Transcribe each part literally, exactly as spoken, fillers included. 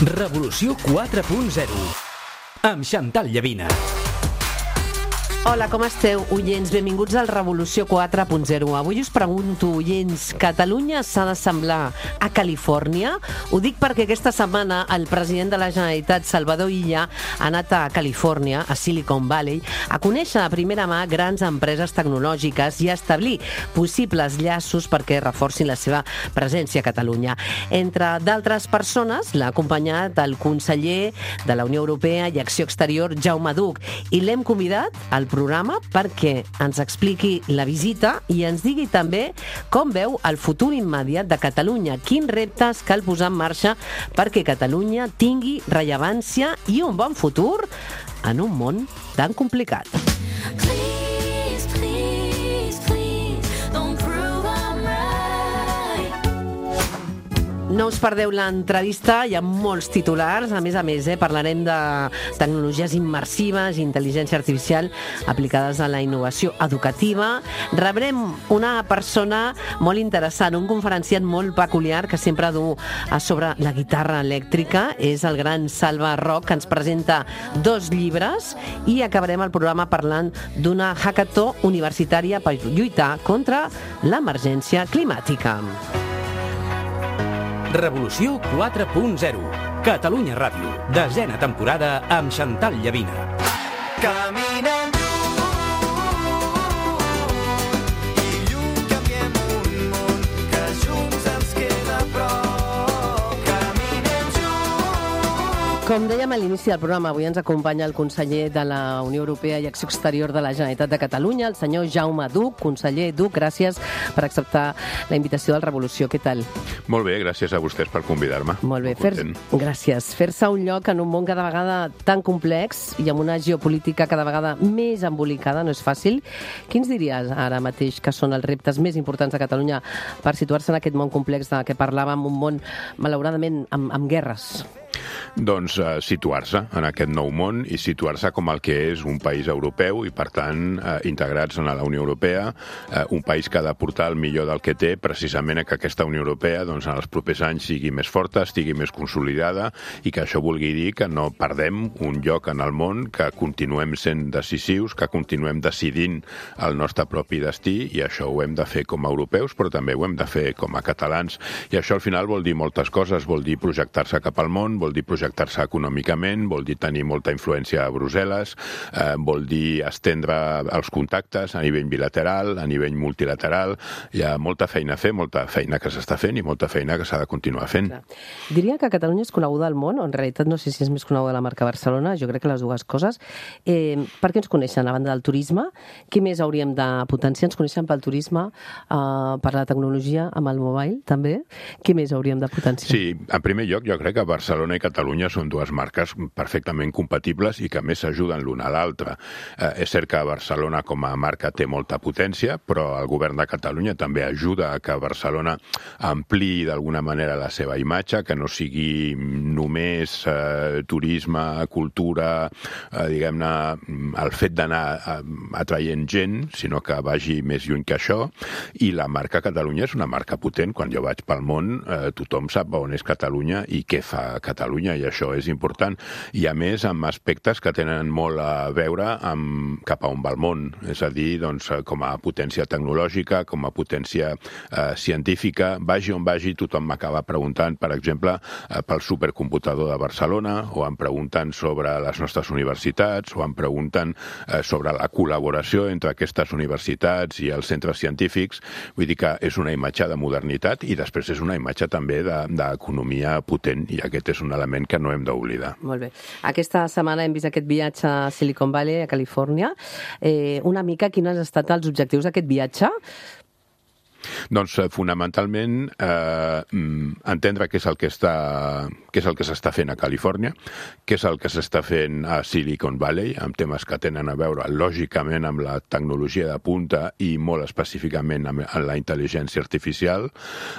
Revolució quatre punt zero amb Chantal Llavina. Hola, com esteu, oients? Benvinguts al Revolució quatre punt zero. Avui us pregunto, oients, Catalunya s'ha d'assemblar a Califòrnia? Ho dic perquè aquesta setmana el president de la Generalitat, Salvador Illa, ha anat a Califòrnia, a Silicon Valley, a conèixer a primera mà grans empreses tecnològiques i a establir possibles llaços perquè reforcin la seva presència a Catalunya. Entre d'altres persones, l'ha acompanyat el conseller de la Unió Europea i Acció Exterior, Jaume Duch, i l'hem convidat al programa perquè ens expliqui la visita i ens digui també com veu el futur immediat de Catalunya, quins reptes cal posar en marxa perquè Catalunya tingui rellevància i un bon futur en un món tan complicat. No us perdeu l'entrevista, hi ha molts titulars, a més a més, eh, parlarem de tecnologies immersives, intel·ligència artificial aplicades a la innovació educativa. Rebrem una persona molt interessant, un conferenciant molt peculiar que sempre du a sobre la guitarra elèctrica, és el gran Salva Roch, que ens presenta dos llibres, i acabarem el programa parlant d'una hackathon universitària per lluitar contra l'emergència climàtica. Revolució quatre punt zero. Catalunya Ràdio. Desena temporada amb Chantal Llavina. Caminem i lluny canviem un món que junts ens queda a prop. Caminem junts. Com dèiem a l'inici del programa, avui ens acompanya el conseller de la Unió Europea i Acció Exterior de la Generalitat de Catalunya, el senyor Jaume Duch. Conseller Duch, gràcies per acceptar la invitació del Revolució. Què tal? Molt bé, gràcies a vostès per convidar-me. Molt bé, fer gràcies. Fer-se un lloc en un món cada vegada tan complex i amb una geopolítica cada vegada més embolicada no és fàcil. Quins diries ara mateix que són els reptes més importants de Catalunya per situar-se en aquest món complex de què parlàvem, un món, malauradament, amb, amb guerres? Doncs uh, situar-se en aquest nou món i situar-se com el que és un país europeu i, per tant, uh, integrats en la Unió Europea, uh, un país que ha de portar el millor del que té, precisament a que aquesta Unió Europea doncs, en els propers anys sigui més forta, estigui més consolidada i que això vulgui dir que no perdem un lloc en el món, que continuem sent decisius, que continuem decidint el nostre propi destí, i això ho hem de fer com a europeus, però també ho hem de fer com a catalans. I això al final vol dir moltes coses, vol dir projectar-se cap al món, vol dir projectar-se econòmicament, vol dir tenir molta influència a Brussel·les, eh, vol dir estendre els contactes a nivell bilateral, a nivell multilateral. Hi ha molta feina a fer, molta feina que s'està fent i molta feina que s'ha de continuar fent. Clar. Diria que Catalunya és coneguda al món, o en realitat no sé si és més coneguda la marca Barcelona, jo crec que les dues coses. Eh, per què ens coneixen? A banda del turisme, què més hauríem de potenciar? Ens coneixen pel turisme, eh, per la tecnologia, amb el mobile, també? Què més hauríem de potenciar? Sí, en primer lloc, jo crec que Barcelona i Catalunya són dues marques perfectament compatibles i que a més s'ajuden l'una a l'altra. Eh, és cert que Barcelona com a marca té molta potència, però el govern de Catalunya també ajuda a que Barcelona ampliï d'alguna manera la seva imatge, que no sigui només eh, turisme, cultura, eh, diguem-ne, el fet d'anar atraient gent, sinó que vagi més lluny que això. I la marca Catalunya és una marca potent. Quan jo vaig pel món, eh, tothom sap on és Catalunya i què fa Catalunya, i això és important. I a més, amb aspectes que tenen molt a veure amb cap a on va el món. És a dir, doncs, com a potència tecnològica, com a potència eh, científica, vagi on vagi, tothom m'acaba preguntant, per exemple, eh, pel supercomputador de Barcelona, o em pregunten sobre les nostres universitats, o em pregunten eh, sobre la col·laboració entre aquestes universitats i els centres científics. Vull dir que és una imatge de modernitat i després és una imatge també d'economia potent, i aquest és un element que no hem d'oblidar. Molt bé. Aquesta setmana hem vist aquest viatge a Silicon Valley, a Califòrnia. Eh, una mica, quins han estat els objectius d'aquest viatge? Doncs fonamentalment eh, entendre què és el que està, què és el que s'està fent a Califòrnia, què és el que s'està fent a Silicon Valley, amb temes que tenen a veure lògicament amb la tecnologia de punta i molt específicament amb la intel·ligència artificial,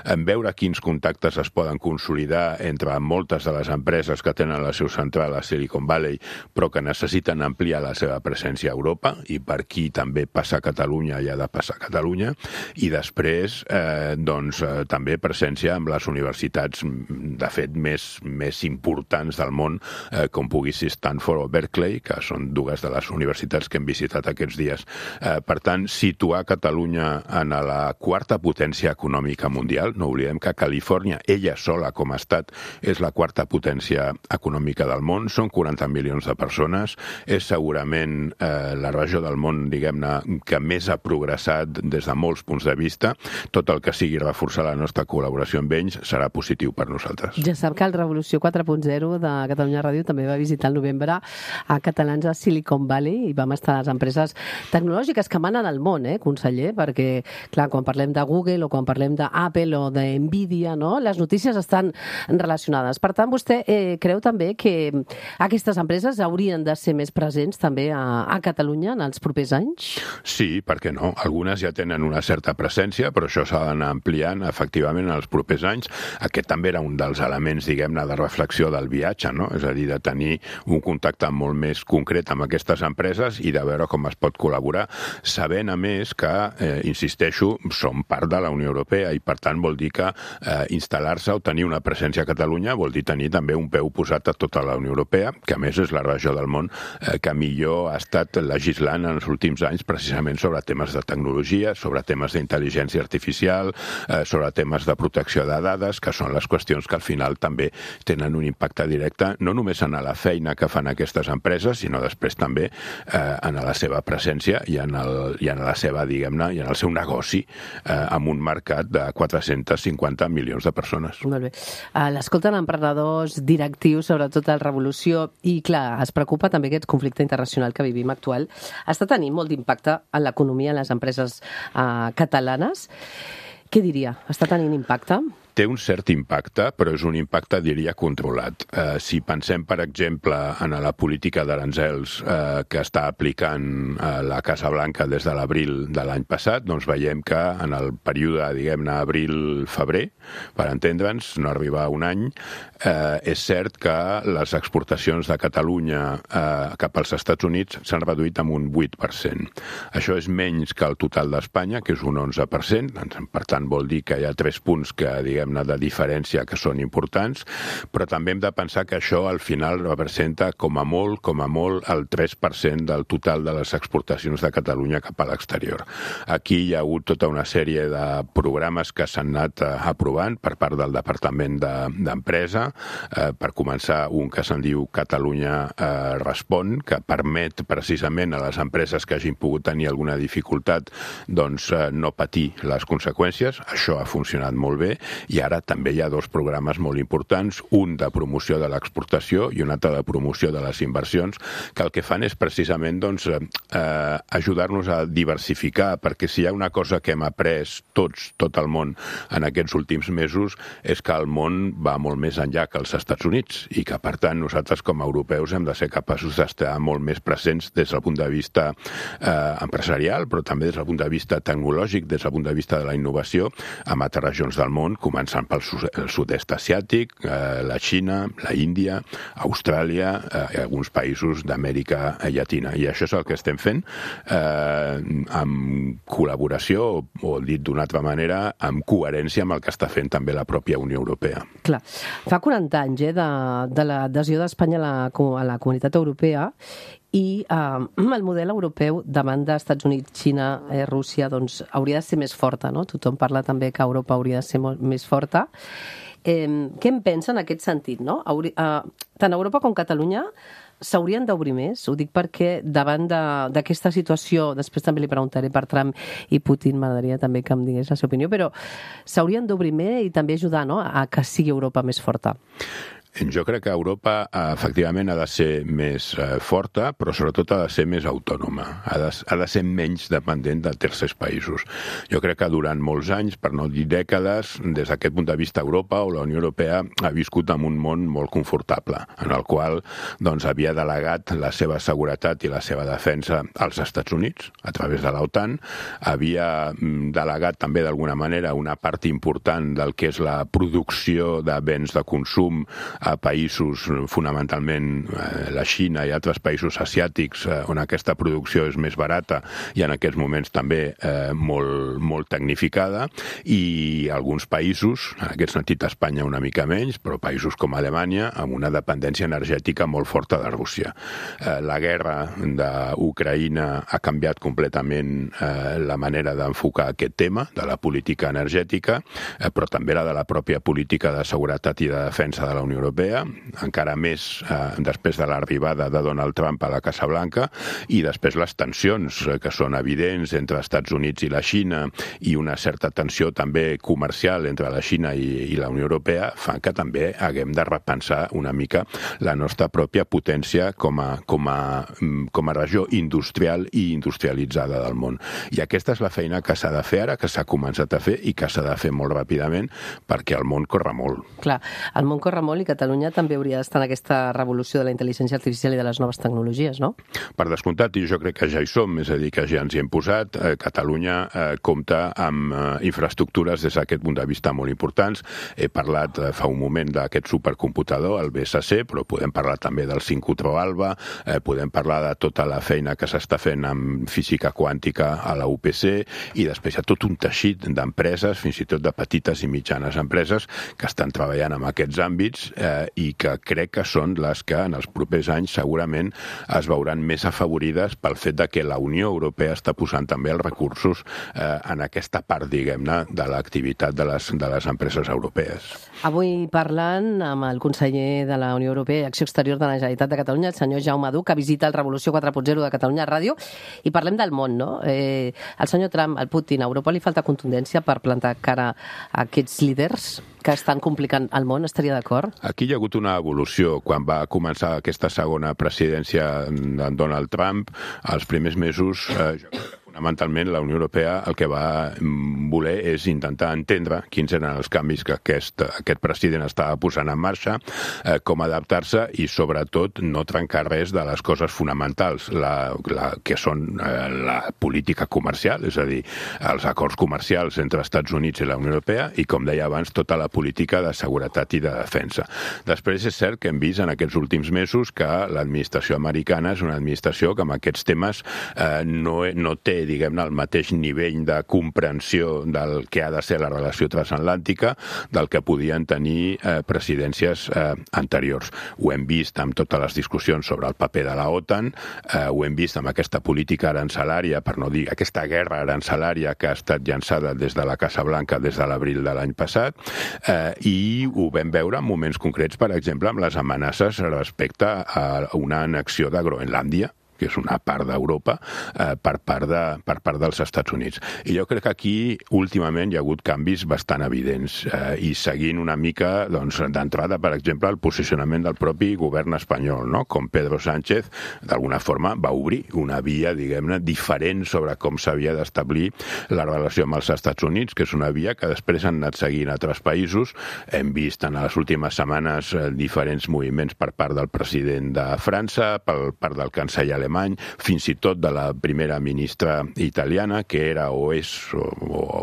en veure quins contactes es poden consolidar entre moltes de les empreses que tenen la seu central a Silicon Valley, però que necessiten ampliar la seva presència a Europa, i per aquí també passa a Catalunya i ha de passar a Catalunya, i després després, eh, doncs, eh, també presència amb les universitats, de fet, més, més importants del món, eh, com pugui ser Stanford o Berkeley, que són dues de les universitats que hem visitat aquests dies. Eh, per tant, situar Catalunya en la quarta potència econòmica mundial, no oblidem que Califòrnia, ella sola com a estat, és la quarta potència econòmica del món, són quaranta milions de persones, és segurament eh, la regió del món, diguem-ne, que més ha progressat des de molts punts de vista. Tot el que sigui reforçar la nostra col·laboració amb ells serà positiu per nosaltres. Ja sap que el Revolució quatre punt zero de Catalunya Ràdio també va visitar el novembre a catalans a Silicon Valley i vam estar a les empreses tecnològiques que manen al món, eh, conseller? Perquè, clar, quan parlem de Google o quan parlem d'Apple o de Nvidia, no?, les notícies estan relacionades. Per tant, vostè eh, creu també que aquestes empreses haurien de ser més presents també a, a Catalunya en els propers anys? Sí, per què no? Algunes ja tenen una certa presència, però això s'ha d'anar ampliant efectivament en els propers anys. Aquest també era un dels elements, diguem-ne, de reflexió del viatge, no? És a dir, de tenir un contacte molt més concret amb aquestes empreses i de veure com es pot col·laborar, sabent, a més, que, eh, insisteixo, som part de la Unió Europea i, per tant, vol dir que eh, instal·lar-se o tenir una presència a Catalunya vol dir tenir també un peu posat a tota la Unió Europea, que, a més, és la regió del món eh, que millor ha estat legislant en els últims anys precisament sobre temes de tecnologia, sobre temes d'intel·ligència artificial, eh, sobre temes de protecció de dades, que són les qüestions que al final també tenen un impacte directe, no només en la feina que fan aquestes empreses, sinó després també eh, en la seva presència i en, el, i en la seva, diguem-ne, i en el seu negoci eh, amb un mercat de quatre-cents cinquanta milions de persones. Molt bé. Uh, L'escolten emprenedors, directius, sobretot a la Revolució, i clar, es preocupa també aquest conflicte internacional que vivim actual. Està tenint molt d'impacte en l'economia, en les empreses uh, catalanes. Què diria? Està tenint impacte? Té un cert impacte, però és un impacte, diria, controlat. Eh, si pensem, per exemple, en la política d'aranzels eh, que està aplicant eh, la Casa Blanca des de l'abril de l'any passat, doncs veiem que en el període, diguem-ne, abril-febrer, per entendre'ns, no arriba a un any, eh, és cert que les exportacions de Catalunya eh, cap als Estats Units s'han reduït amb un vuit per cent. Això és menys que el total d'Espanya, que és un onze per cent, per tant vol dir que hi ha tres punts que, diguem, de diferència que són importants, però també hem de pensar que això al final representa com a molt, com a molt, el tres per cent del total de les exportacions de Catalunya cap a l'exterior. Aquí hi ha hagut tota una sèrie de programes que s'han anat aprovant per part del Departament d'Empresa, eh, per començar un que se'n diu Catalunya eh, Respon, que permet precisament a les empreses que hagin pogut tenir alguna dificultat doncs eh, no patir les conseqüències. Això ha funcionat molt bé. I ara també hi ha dos programes molt importants, un de promoció de l'exportació i un altre de promoció de les inversions, que el que fan és precisament doncs, eh, ajudar-nos a diversificar, perquè si hi ha una cosa que hem après tots, tot el món, en aquests últims mesos, és que el món va molt més enllà que els Estats Units i que, per tant, nosaltres com a europeus hem de ser capaços d'estar molt més presents des del punt de vista eh, empresarial, però també des del punt de vista tecnològic, des del punt de vista de la innovació, en altres regions del món, començant pel sud-est asiàtic, eh, la Xina, la Índia, Austràlia, eh, alguns països d'Amèrica Llatina. I això és el que estem fent eh, amb col·laboració, o, o dit d'una altra manera, amb coherència amb el que està fent també la pròpia Unió Europea. Clar, fa quaranta anys eh, de, de l'adhesió d'Espanya a, la, a la Comunitat Europea i eh, el model europeu davant d'Estats Units, Xina, eh, Rússia, doncs hauria de ser més forta, no? Tothom parla també que Europa hauria de ser molt més forta. Eh, què en pensa en aquest sentit, no? Hauri, eh, tant Europa com Catalunya s'haurien d'obrir més? Ho dic perquè davant d'aquesta situació, després també li preguntaré per Trump i Putin, m'agradaria també que em digués la seva opinió, però s'haurien d'obrir més i també ajudar, no?, a que sigui Europa més forta. Jo crec que Europa efectivament ha de ser més eh, forta, però sobretot ha de ser més autònoma, ha de, ha de ser menys dependent de tercers països. Jo crec que durant molts anys, per no dir dècades, des d'aquest punt de vista Europa o la Unió Europea ha viscut en un món molt confortable, en el qual doncs, havia delegat la seva seguretat i la seva defensa als Estats Units, a través de l'OTAN, havia delegat també d'alguna manera una part important del que és la producció de béns de consum a països fonamentalment eh, la Xina i altres països asiàtics eh, on aquesta producció és més barata i en aquests moments també eh, molt, molt tecnificada, i alguns països, en aquest sentit Espanya una mica menys, però països com Alemanya amb una dependència energètica molt forta de Rússia. Eh, la guerra d'Ucraïna ha canviat completament eh, la manera d'enfocar aquest tema de la política energètica, eh, però també la de la pròpia política de seguretat i de defensa de la Unió Europea, encara més eh, després de l'arribada de Donald Trump a la Casa Blanca, i després les tensions eh, que són evidents entre els Estats Units i la Xina, i una certa tensió també comercial entre la Xina i, i la Unió Europea, fan que també haguem de repensar una mica la nostra pròpia potència com a, com a, com a regió industrial i industrialitzada del món. I aquesta és la feina que s'ha de fer ara, que s'ha començat a fer i que s'ha de fer molt ràpidament, perquè el món corre molt. Clar, el món corre molt i Catalunya també hauria d'estar en aquesta revolució de la intel·ligència artificial i de les noves tecnologies, no? Per descomptat, i jo crec que ja hi som, és a dir, que ja ens hi hem posat. Eh, Catalunya eh, compta amb eh, infraestructures des d'aquest punt de vista molt importants. He parlat eh, fa un moment d'aquest supercomputador, el B S C, però podem parlar també del sincrotró Alba, eh, podem parlar de tota la feina que s'està fent amb física quàntica a la U P C, i després hi ha tot un teixit d'empreses, fins i tot de petites i mitjanes empreses, que estan treballant en aquests àmbits eh, i que crec que són les que en els propers anys segurament es veuran més afavorides pel fet de que la Unió Europea està posant també els recursos eh, en aquesta part, diguem-ne, de l'activitat de les, de les empreses europees. Avui parlant amb el conseller de la Unió Europea i Acció Exterior de la Generalitat de Catalunya, el senyor Jaume Duch, que visita el Revolució quatre punt zero de Catalunya Ràdio, i parlem del món, no? Eh, el senyor Trump, el Putin, a Europa li falta contundència per plantar cara a aquests líders que estan complicant el món, estaria d'acord? Aquí hi ha hagut una evolució. Quan va començar aquesta segona presidència d'en Donald Trump, els primers mesos, eh, jo crec que fonamentalment la Unió Europea el que va voler és intentar entendre quins eren els canvis que aquest, aquest president estava posant en marxa, eh, com adaptar-se i sobretot no trencar res de les coses fonamentals, la, la, que són eh, la política comercial, és a dir, els acords comercials entre Estats Units i la Unió Europea i, com deia abans, tota la política de seguretat i de defensa. Després és cert que hem vist en aquests últims mesos que l'administració americana és una administració que amb aquests temes eh, no, no té, diguem-ne, el mateix nivell de comprensió del que ha de ser la relació transatlàntica del que podien tenir eh, presidències eh, anteriors. Ho hem vist amb totes les discussions sobre el paper de la OTAN, eh, ho hem vist amb aquesta política arancelària, per no dir aquesta guerra arancelària que ha estat llançada des de la Casa Blanca des de l'abril de l'any passat, eh, i ho vam veure en moments concrets, per exemple, amb les amenaces respecte a una annexió de Groenlàndia, que és una part d'Europa, eh, per, part de, per part dels Estats Units. I jo crec que aquí, últimament, hi ha hagut canvis bastant evidents, eh, i seguint una mica, doncs, d'entrada, per exemple, el posicionament del propi govern espanyol, no? Com Pedro Sánchez, d'alguna forma, va obrir una via, diguem-ne, diferent sobre com s'havia d'establir la relació amb els Estats Units, que és una via que després han anat seguint altres països. Hem vist en les últimes setmanes eh, diferents moviments per part del president de França, per part del canceller alemany, fins i tot de la primera ministra italiana, que era o és o,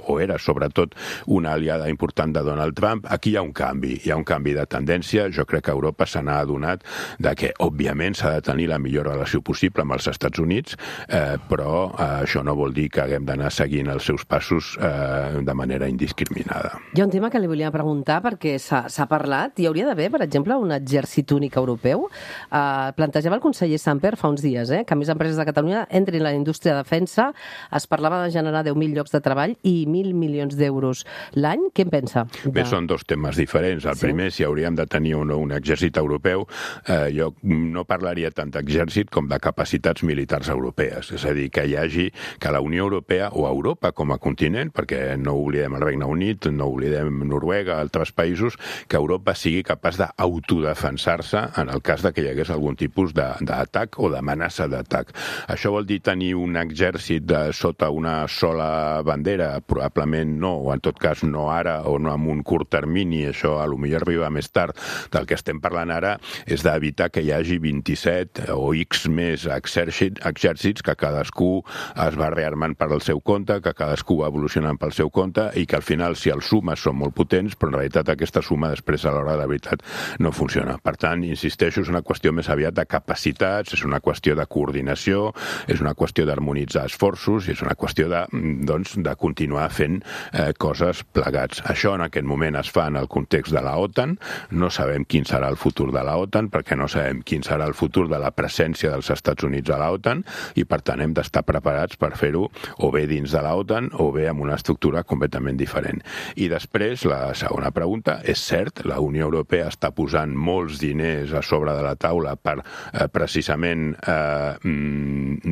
o era sobretot una aliada important de Donald Trump. Aquí hi ha un canvi, hi ha un canvi de tendència. Jo crec que Europa se n'ha adonat de que, òbviament, s'ha de tenir la millor relació possible amb els Estats Units, eh, però eh, això no vol dir que haguem d'anar seguint els seus passos eh, de manera indiscriminada. Hi ha un tema que li volia preguntar, perquè s'ha parlat, hi hauria d'haver, per exemple, un exèrcit únic europeu. Eh, plantejava el conseller Samper fa uns dies, eh, que més empreses de Catalunya entrin a la indústria de defensa. Es parlava de generar deu mil llocs de treball i mil milions d'euros l'any. Què en pensa? De... Bé, són dos temes diferents. El sí. primer, si hauríem de tenir un, un exèrcit europeu, eh, jo no parlaria tant d'exèrcit com de capacitats militars europees. És a dir, que hi hagi, que la Unió Europea o Europa com a continent, perquè no oblidem el Regne Unit, no oblidem Noruega, altres països, que Europa sigui capaç d'autodefensar-se en el cas de que hi hagués algun tipus d'atac o d'amenaça amenaça d'atac. Això vol dir tenir un exèrcit de, sota una sola bandera? Probablement no, o en tot cas no ara o no en un curt termini, això a lo millor arriba més tard. Del que estem parlant ara és d'evitar que hi hagi vint-i-set o X més exèrcits, exèrcits que cadascú es va rearmant per al seu compte, que cadascú va evolucionant pel seu compte i que al final, si els sumes són molt potents, però en realitat aquesta suma després a l'hora de la veritat no funciona. Per tant, insisteixo, és una qüestió més aviat de capacitats, és una qüestió de coordinació, és una qüestió d'harmonitzar esforços i és una qüestió de, doncs, de continuar fent eh, coses plegats. Això en aquest moment es fa en el context de la OTAN, no sabem quin serà el futur de la OTAN perquè no sabem quin serà el futur de la presència dels Estats Units a la OTAN i per tant hem d'estar preparats per fer-ho o bé dins de la OTAN o bé amb una estructura completament diferent. I després, la segona pregunta, és cert, la Unió Europea està posant molts diners a sobre de la taula per eh, precisament eh,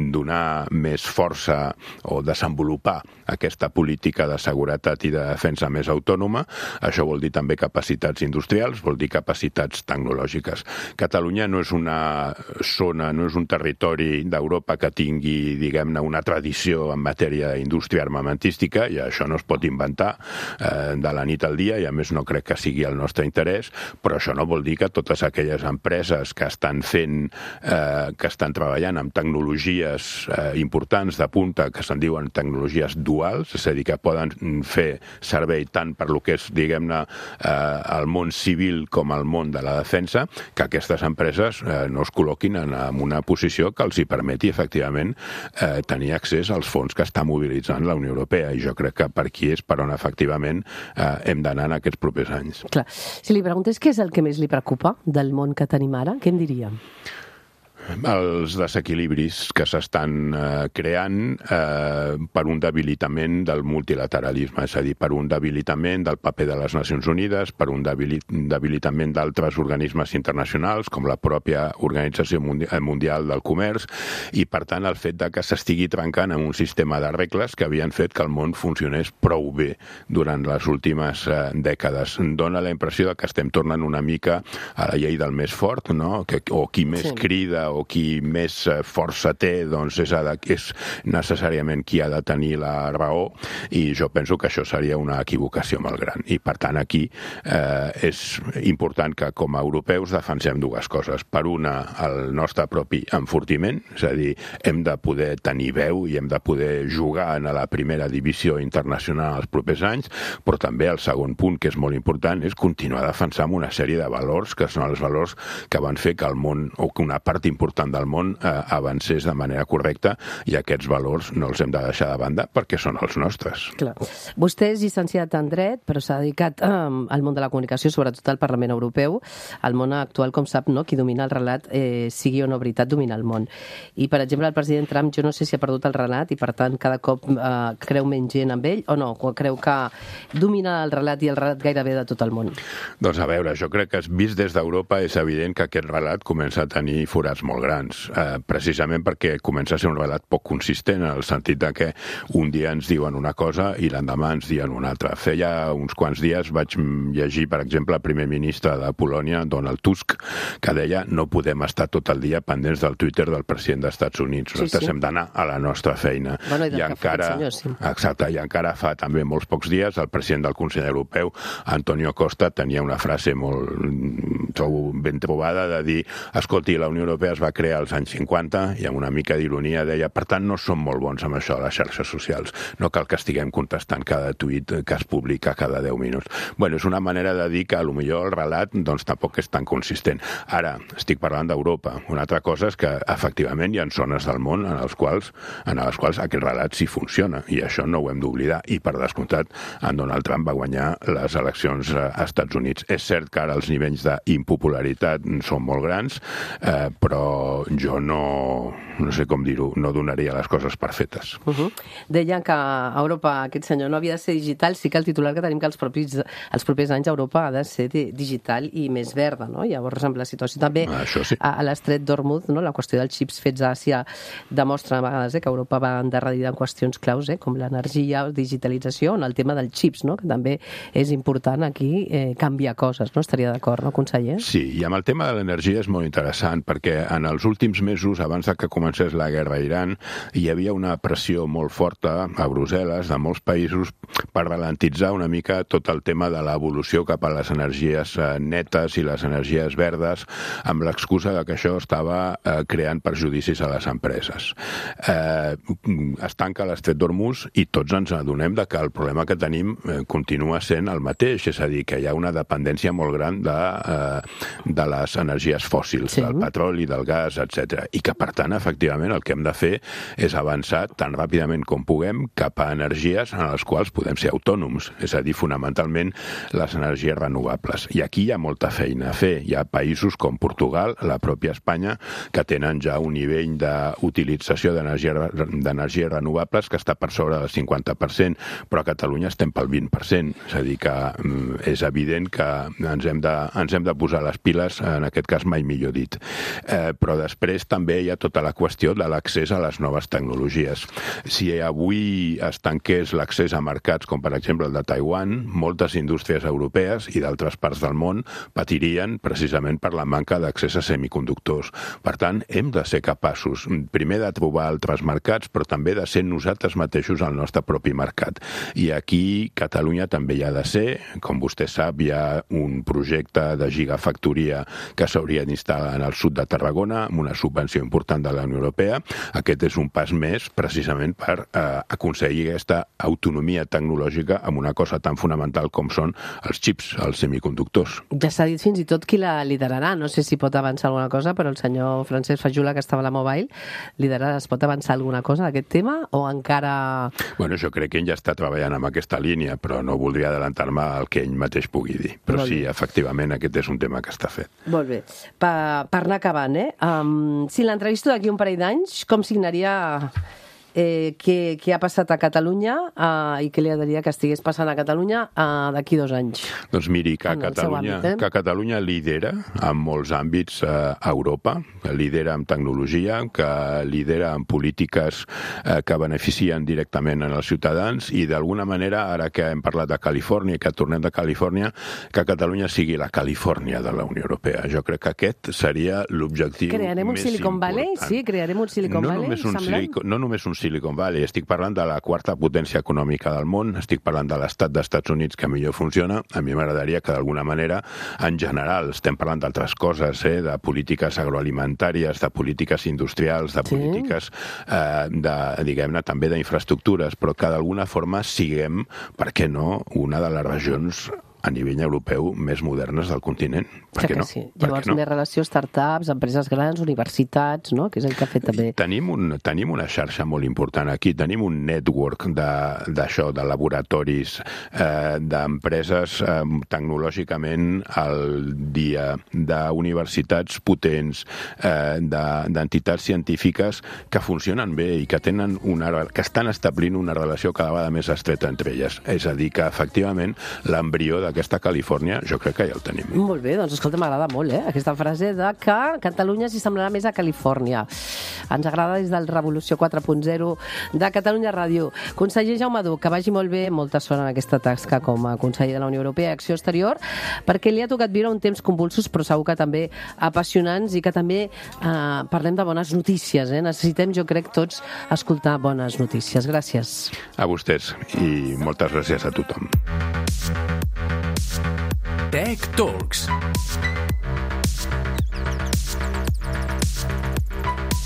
donar més força o desenvolupar aquesta política de seguretat i de defensa més autònoma. Això vol dir també capacitats industrials, vol dir capacitats tecnològiques. Catalunya no és una zona, no és un territori d'Europa que tingui, diguem-ne, una tradició en matèria d'indústria armamentística, i això no es pot inventar eh, de la nit al dia, i a més no crec que sigui el nostre interès, però això no vol dir que totes aquelles empreses que estan fent, eh, que estan treballant amb tecnologies eh, importants de punta, que se'n diuen tecnologies duals, és a dir, que poden fer servei tant per lo que és, diguem-ne, eh, el món civil com el món de la defensa, que aquestes empreses eh, no es col·loquin en, en una posició que els hi permeti, efectivament, eh, tenir accés als fons que està mobilitzant la Unió Europea, i jo crec que per aquí és per on, efectivament, eh, hem d'anar en aquests propers anys. Clar. Si li preguntés què és el que més li preocupa del món que tenim ara, què em diria? Els desequilibris que s'estan eh, creant eh, per un debilitament del multilateralisme, és a dir, per un debilitament del paper de les Nacions Unides, per un debilit debilitament d'altres organismes internacionals, com la pròpia Organització Mundial del Comerç, i, per tant, el fet de que s'estigui trencant en un sistema de regles que havien fet que el món funcionés prou bé durant les últimes eh, dècades. Dóna la impressió de que estem tornant una mica a la llei del més fort, no? Que, o qui més sí. crida o qui més força té, doncs és, de, és necessàriament qui ha de tenir la raó, i jo penso que això seria una equivocació molt gran. I, per tant, aquí eh, és important que, com a europeus, defensem dues coses. Per una, el nostre propi enfortiment, és a dir, hem de poder tenir veu i hem de poder jugar en la primera divisió internacional els propers anys, però també el segon punt, que és molt important, és continuar defensant una sèrie de valors que són els valors que van fer que el món, o que una part important del món eh, avancés de manera correcta, i aquests valors no els hem de deixar de banda perquè són els nostres. Clar. Vostè és llicenciat en dret, però s'ha dedicat eh, al món de la comunicació, sobretot al Parlament Europeu. El món actual, com sap, no? Qui domina el relat, eh, sigui o no veritat, domina el món. I, per exemple, el president Trump, jo no sé si ha perdut el relat i, per tant, cada cop eh, creu menys gent amb ell, o no? O creu que domina el relat i el relat gairebé de tot el món? Doncs a veure, jo crec que vist des d'Europa és evident que aquest relat comença a tenir forats molt grans, eh, precisament perquè comença a ser un relat poc consistent, en el sentit de que un dia ens diuen una cosa i l'endemà ens diuen una altra. Feia uns quants dies vaig llegir, per exemple, el primer ministre de Polònia, Donald Tusk, que deia no podem estar tot el dia pendents del Twitter del president dels Estats Units. Sí, Nosaltres sí. hem d'anar a la nostra feina. Bueno, i, I encara, senyor, sí. exacte, i encara fa també molts pocs dies el president del Consell Europeu, Antonio Costa, tenia una frase molt trobo ben trobada de dir, escolti, la Unió Europea es va crear als anys cinquanta i amb una mica d'ironia deia, per tant no som molt bons amb això de les xarxes socials, no cal que estiguem contestant cada tuit que es publica cada deu minuts. Bueno, és una manera de dir que a lo millor el relat doncs tampoc és tan consistent. Ara, estic parlant d'Europa. Una altra cosa és que efectivament hi ha zones del món en les quals, en les quals aquest relat sí funciona, i això no ho hem d'oblidar, i per descomptat en Donald Trump va guanyar les eleccions als Estats Units. És cert que ara els nivells d'impopularitat són molt grans, eh, però jo no, no sé com dir-ho, no donaria les coses per fetes. Uh -huh. Deia que a Europa aquest senyor no havia de ser digital, sí que el titular que tenim que els propis, els propers anys Europa ha de ser digital i més verda, no? Llavors, amb la situació també Això sí. a, a l'estret d'Hormuz, no? La qüestió dels xips fets a Àsia demostra a vegades eh, que Europa va endarrerida en qüestions claus, eh, com l'energia, digitalització, en el tema dels xips, no? Que també és important aquí eh, canviar coses, no? Estaria d'acord, no, conseller? Sí, i amb el tema de l'energia és molt interessant, perquè en en els últims mesos, abans de que comencés la guerra a Iran, hi havia una pressió molt forta a Brussel·les, de molts països, per ralentitzar una mica tot el tema de l'evolució cap a les energies netes i les energies verdes, amb l'excusa de que això estava eh, creant perjudicis a les empreses. Eh, es tanca l'estret d'Hormuz i tots ens adonem de que el problema que tenim eh, continua sent el mateix, és a dir, que hi ha una dependència molt gran de, eh, de les energies fòssils, sí. del petroli, del gas, etcètera. I que, per tant, efectivament, el que hem de fer és avançar tan ràpidament com puguem cap a energies en les quals podem ser autònoms, és a dir, fonamentalment les energies renovables. I aquí hi ha molta feina a fer. Hi ha països com Portugal, la pròpia Espanya, que tenen ja un nivell d'utilització d'energies renovables que està per sobre del cinquanta per cent, però a Catalunya estem pel vint per cent. És a dir, que és evident que ens hem de, ens hem de posar les piles, en aquest cas mai millor dit. Eh, però després també hi ha tota la qüestió de l'accés a les noves tecnologies. Si avui es tanqués l'accés a mercats com per exemple el de Taiwan, moltes indústries europees i d'altres parts del món patirien precisament per la manca d'accés a semiconductors. Per tant, hem de ser capaços, primer de trobar altres mercats, però també de ser nosaltres mateixos el nostre propi mercat. I aquí Catalunya també hi ha de ser. Com vostè sap, hi ha un projecte de gigafactoria que s'hauria d'instal·lar en el sud de Tarragona amb una subvenció important de la Unió Europea. Aquest és un pas més precisament per eh, aconseguir aquesta autonomia tecnològica amb una cosa tan fonamental com són els xips, els semiconductors. Ja s'ha dit fins i tot qui la liderarà. No sé si pot avançar alguna cosa, però el senyor Francesc Fajula, que estava a la Mobile, liderarà, es pot avançar alguna cosa d'aquest tema o encara... Bueno, jo crec que ell ja està treballant amb aquesta línia, però no voldria adelantar-me al que ell mateix pugui dir. Però sí, efectivament, aquest és un tema que està fet. Molt bé. Per, per anar acabant, eh? Um, si l'entrevisto d'aquí un parell d'anys, com signaria eh, què, què ha passat a Catalunya eh, i què li agradaria que estigués passant a Catalunya eh, d'aquí dos anys? Doncs miri, que Catalunya, àmbit, eh? que Catalunya lidera en molts àmbits eh, a Europa, que lidera en tecnologia, que lidera en polítiques eh, que beneficien directament en els ciutadans i d'alguna manera, ara que hem parlat de Califòrnia i que tornem de Califòrnia, que Catalunya sigui la Califòrnia de la Unió Europea. Jo crec que aquest seria l'objectiu més important. Crearem un Silicon Valley? Sí, crearem un Silicon no Valley, només un Silicon, no només un Silicon Valley, estic parlant de la quarta potència econòmica del món, estic parlant de l'estat dels Estats Units que millor funciona. A mi m'agradaria que d'alguna manera, en general, estem parlant d'altres coses, eh, de polítiques agroalimentàries, de polítiques industrials, de polítiques, eh, de, diguem-ne, també d'infraestructures, però que d'alguna forma siguem, per què no, una de les regions a nivell europeu més modernes del continent. Per què no? Sí. Llavors, no? Més relació startups, empreses grans, universitats, no? Que és el que ha fet també. Tenim, un, tenim una xarxa molt important aquí, tenim un network d'això, de, de laboratoris, eh, d'empreses eh, tecnològicament al dia, d'universitats potents, eh, d'entitats científiques que funcionen bé i que, tenen una, que estan establint una relació cada vegada més estreta entre elles. És a dir, que efectivament l'embrió d'aquesta Califòrnia jo crec que ja el tenim. Molt bé, doncs escolta, m'agrada molt, eh? Aquesta frase de que Catalunya s'hi semblarà més a Califòrnia. Ens agrada des del Revolució quatre punt zero de Catalunya Ràdio. Conseller Jaume Duch, que vagi molt bé, molta sort en aquesta tasca com a conseller de la Unió Europea i Acció Exterior, perquè li ha tocat viure un temps convulsos, però segur que també apassionants i que també eh, parlem de bones notícies, eh? Necessitem, jo crec, tots escoltar bones notícies. Gràcies. A vostès i moltes gràcies a tothom. Tech Talks.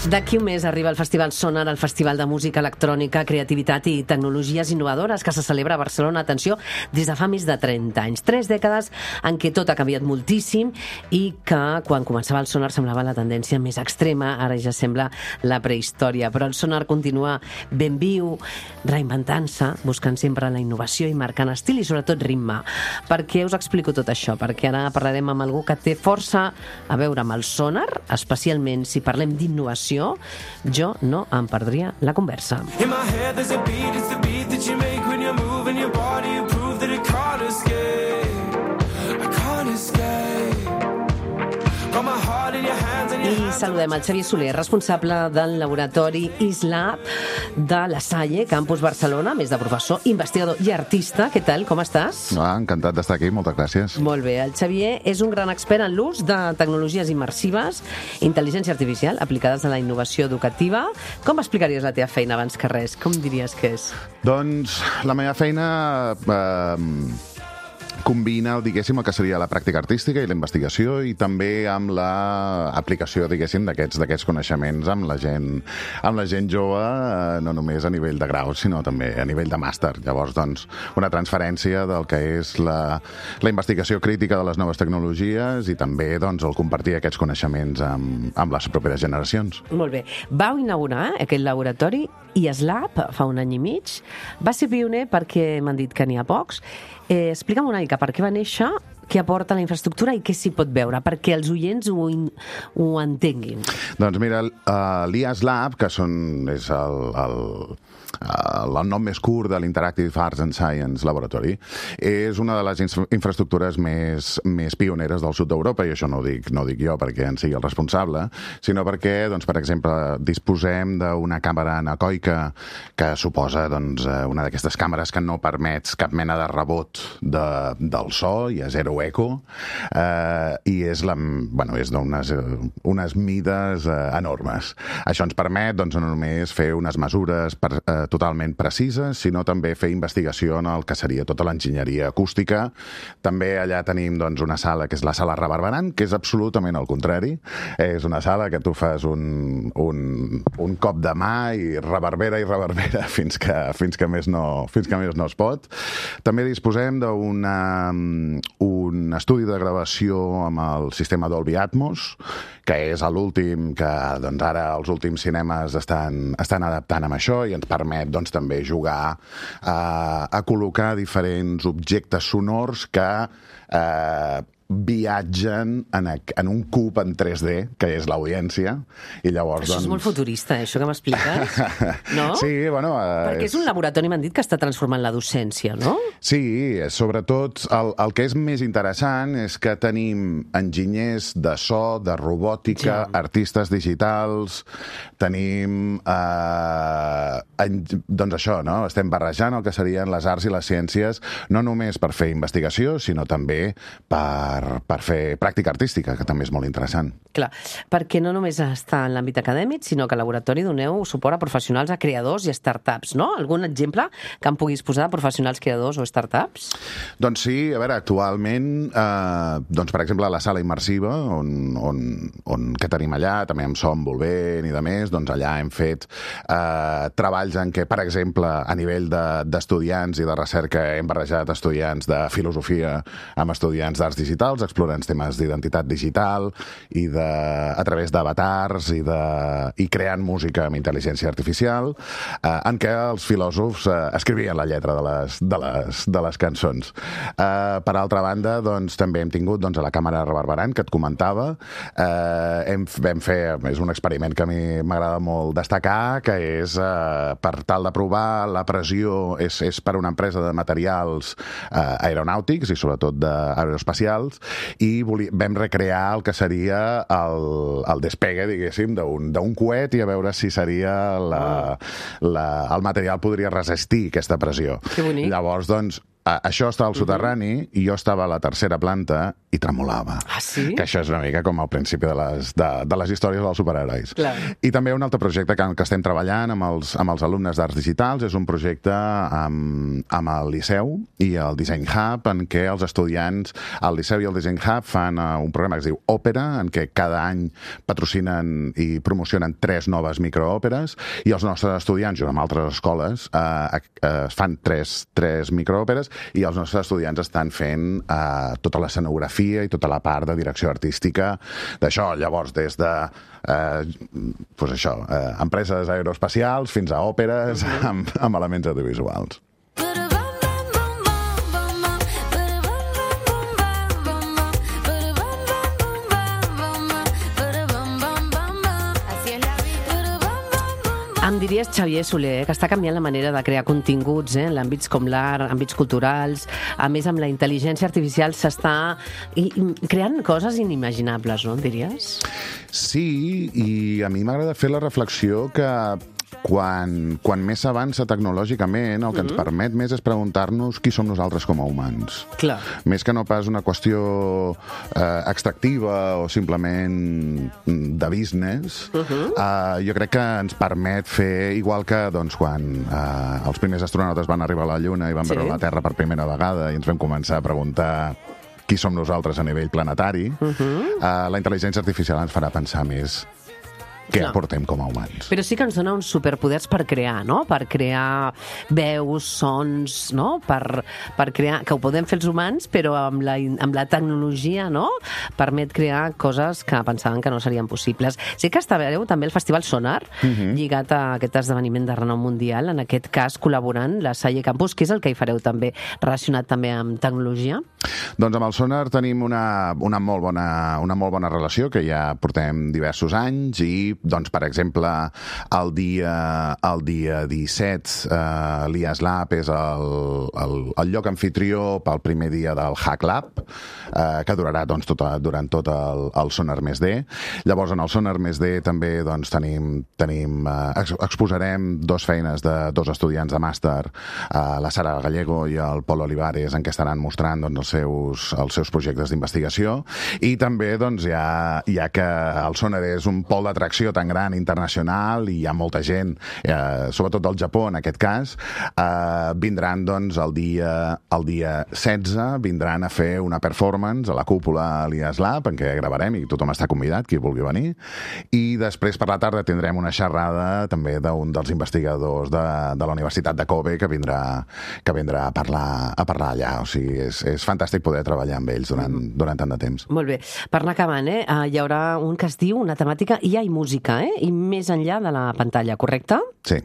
D'aquí un mes arriba el Festival Sonar, el Festival de Música Electrònica, Creativitat i Tecnologies Innovadores que se celebra a Barcelona, atenció, des de fa més de trenta anys. Tres dècades en què tot ha canviat moltíssim i que quan començava el Sonar semblava la tendència més extrema, ara ja sembla la prehistòria. Però el Sonar continua ben viu, reinventant-se, buscant sempre la innovació i marcant estil i sobretot ritme. Per què us explico tot això? Perquè ara parlarem amb algú que té força a veure amb el Sonar, especialment si parlem d'innovació. Jo no em perdria la conversa. In my head there's a beat, it's the beat that you make when you're moving your body, you prove that it can't escape, I can't escape. Got my heart in your hands and your hands. I saludem el Xavier Soler, responsable del laboratori ISLab de la Salle, Campus Barcelona, més de professor, investigador i artista. Què tal, com estàs? Ah, encantat d'estar aquí, moltes gràcies. Molt bé, el Xavier és un gran expert en l'ús de tecnologies immersives, intel·ligència artificial, aplicades a la innovació educativa. Com explicaries la teva feina abans que res? Com diries que és? Doncs la meva feina eh, combina, diguéssim, el que seria la pràctica artística i la investigació i també amb l'aplicació, diguéssim, d'aquests d'aquests coneixements amb la gent, amb la gent jove, eh, no només a nivell de grau, sinó també a nivell de màster. Llavors, doncs, una transferència del que és la, la investigació crítica de les noves tecnologies i també, doncs, el compartir aquests coneixements amb, amb les properes generacions. Molt bé. Vau inaugurar aquest laboratori ISLab fa un any i mig. Va ser pioner perquè m'han dit que n'hi ha pocs. Eh, explica'm una mica per què va néixer, què aporta la infraestructura i què s'hi pot veure, perquè els oients ho, in, ho entenguin. Doncs mira, uh, l'ISLab, que són, és el, el, el, el nom més curt de l'Interactive Arts and Science Laboratory, és una de les infra infraestructures més, més pioneres del sud d'Europa, i això no ho dic, no ho dic jo perquè en sigui el responsable, sinó perquè, doncs, per exemple, disposem d'una càmera anecoica que suposa, doncs, una d'aquestes càmeres que no permets cap mena de rebot de, del so, i a zero eco, eh, i és, la, bueno, és d'unes unes mides eh, enormes. Això ens permet, doncs, no només fer unes mesures per, eh, totalment precises, sinó també fer investigació en el que seria tota l'enginyeria acústica. També allà tenim, doncs, una sala que és la sala reverberant, que és absolutament el contrari. És una sala que tu fas un, un, un cop de mà i reverbera i reverbera fins que, fins que, més, no, fins que més no es pot. També disposem d'una un estudi de gravació amb el sistema Dolby Atmos, que és l'últim que, doncs, ara els últims cinemes estan, estan adaptant amb això i ens permet, doncs, també jugar a, a col·locar diferents objectes sonors que eh, viatgen en, a, en un cub en tres D, que és l'audiència, i llavors, això doncs... és molt futurista, eh, això que m'expliques, no? Sí, bueno... Eh, Perquè és un laboratori, m'han dit, que està transformant la docència, no? Sí, sobretot el, el que és més interessant és que tenim enginyers de so, de robòtica, ja. artistes digitals, tenim... Eh, en, doncs això, no? Estem barrejant el que serien les arts i les ciències, no només per fer investigació, sinó també per per fer pràctica artística, que també és molt interessant. Clar, perquè no només està en l'àmbit acadèmic, sinó que al laboratori doneu suport a professionals, a creadors i a startups, no? Algun exemple que em puguis posar de professionals creadors o startups? Doncs sí, a veure, actualment, eh, doncs per exemple, la sala immersiva, on, on, on que tenim allà, també amb Som Volvent i de més, doncs allà hem fet eh, treballs en què, per exemple, a nivell d'estudiants de, i de recerca hem barrejat estudiants de filosofia amb estudiants d'arts digitals, explorant temes d'identitat digital i de, a través d'avatars i, de, i creant música amb intel·ligència artificial, eh, en què els filòsofs eh, escrivien la lletra de les, de les, de les cançons. Eh, per altra banda, doncs, també hem tingut, doncs, a la càmera reverberant, que et comentava, eh, hem, vam fer, és un experiment que a mi m'agrada molt destacar, que és, eh, per tal de provar la pressió, és, és per una empresa de materials eh, aeronàutics i sobretot d'aeroespacials, i voli, vam recrear el que seria el, el despegue, diguéssim, d'un coet i a veure si seria la, la, el material podria resistir aquesta pressió. Que bonic. Llavors, doncs, això estava al soterrani i jo estava a la tercera planta i tremolava. Ah, sí? Que això és una mica com al principi de les, de, de les històries dels superherois. Clar. I també un altre projecte que, que estem treballant amb els, amb els alumnes d'Arts Digitals és un projecte amb, amb el Liceu i el Design Hub, en què els estudiants al Liceu i el Design Hub fan uh, un programa que es diu Òpera, en què cada any patrocinen i promocionen tres noves microòperes, i els nostres estudiants, junt amb altres escoles, uh, uh, fan tres, tres microòperes, i els nostres estudiants estan fent eh, tota l'escenografia i tota la part de direcció artística d'això. Llavors, des de eh, pues això, eh, empreses aeroespacials fins a òperes amb, amb elements audiovisuals. Em diries, Xavier Soler, eh, que està canviant la manera de crear continguts eh, en àmbits com l'art, àmbits culturals. A més, amb la intel·ligència artificial s'està i- i creant coses inimaginables, no, em diries? Sí, i a mi m'agrada fer la reflexió que quan, quan més s'avança tecnològicament, el que ens permet més és preguntar-nos qui som nosaltres com a humans. Clar. Més que no pas una qüestió eh, extractiva o simplement de business, uh -huh. eh, jo crec que ens permet fer, igual que doncs, quan eh, els primers astronautes van arribar a la Lluna i van Sí. veure la Terra per primera vegada i ens vam començar a preguntar qui som nosaltres a nivell planetari, uh -huh. eh, la intel·ligència artificial ens farà pensar més què Clar. aportem com a humans. Però sí que ens dona uns superpoders per crear, no? Per crear veus, sons, no? Per, per crear... Que ho podem fer els humans, però amb la, amb la tecnologia, no? Permet crear coses que pensaven que no serien possibles. Sí que estareu també al Festival Sonar, uh -huh. lligat a aquest esdeveniment de renom mundial, en aquest cas col·laborant la Salle Campus, que és el que hi fareu també, relacionat també amb tecnologia? Doncs amb el Sonar tenim una, una, molt bona, una molt bona relació, que ja portem diversos anys, i doncs, per exemple, el dia, el dia disset, eh, l'I A S Lab és el, el, el lloc anfitrió pel primer dia del Hack Lab, eh, que durarà doncs, tota, durant tot el, el Sonar més D. Llavors, en el Sonar més D també doncs, tenim, tenim, eh, ex, exposarem dos feines de dos estudiants de màster, eh, la Sara Gallego i el Pol Olivares, en què estaran mostrant doncs, els, seus, els seus projectes d'investigació. I també, doncs, ja, ja que el Sonar és un pol d'atracció tan gran internacional i hi ha molta gent, eh, sobretot del Japó en aquest cas, eh, vindran doncs el dia, el dia setze, vindran a fer una performance a la cúpula a l'I A S Lab, en què gravarem i tothom està convidat, qui vulgui venir, i després per la tarda tindrem una xerrada també d'un dels investigadors de, de la Universitat de Kobe que vindrà, que vindrà a parlar, a parlar allà. O sigui, és, és fantàstic poder treballar amb ells durant, durant tant de temps. Molt bé. Per anar acabant, eh? Uh, hi haurà un que es diu, una temàtica, I A i música, eh? I més enllà de la pantalla, correcte? Sí.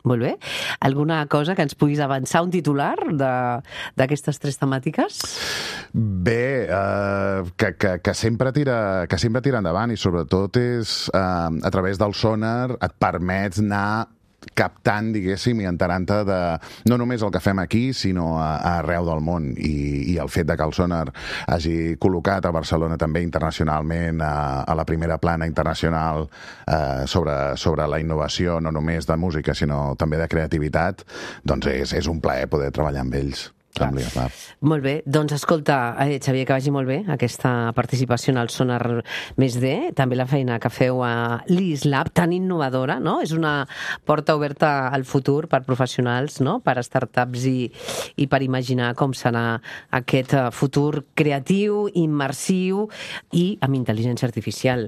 Molt bé. Alguna cosa que ens puguis avançar, un titular de- d'aquestes tres temàtiques? Bé, eh, que, que, que, sempre tira, que sempre tira endavant, i sobretot és eh, a través del Sonar et permets anar captant, diguéssim, i enterant-te de no només el que fem aquí, sinó a, a arreu del món. I, I el fet de que el Sonar hagi col·locat a Barcelona també internacionalment a, a la primera plana internacional eh, sobre, sobre la innovació, no només de música, sinó també de creativitat, doncs és, és un plaer poder treballar amb ells. Amb l'I A S Lab. Molt bé. Doncs escolta, eh, Xavier, que vagi molt bé aquesta participació en el Sonar més D, també la feina que feu a l'I A S Lab, tan innovadora, no? És una porta oberta al futur per professionals, no? Per startups i, i per imaginar com serà aquest eh, futur creatiu, immersiu i amb intel·ligència artificial.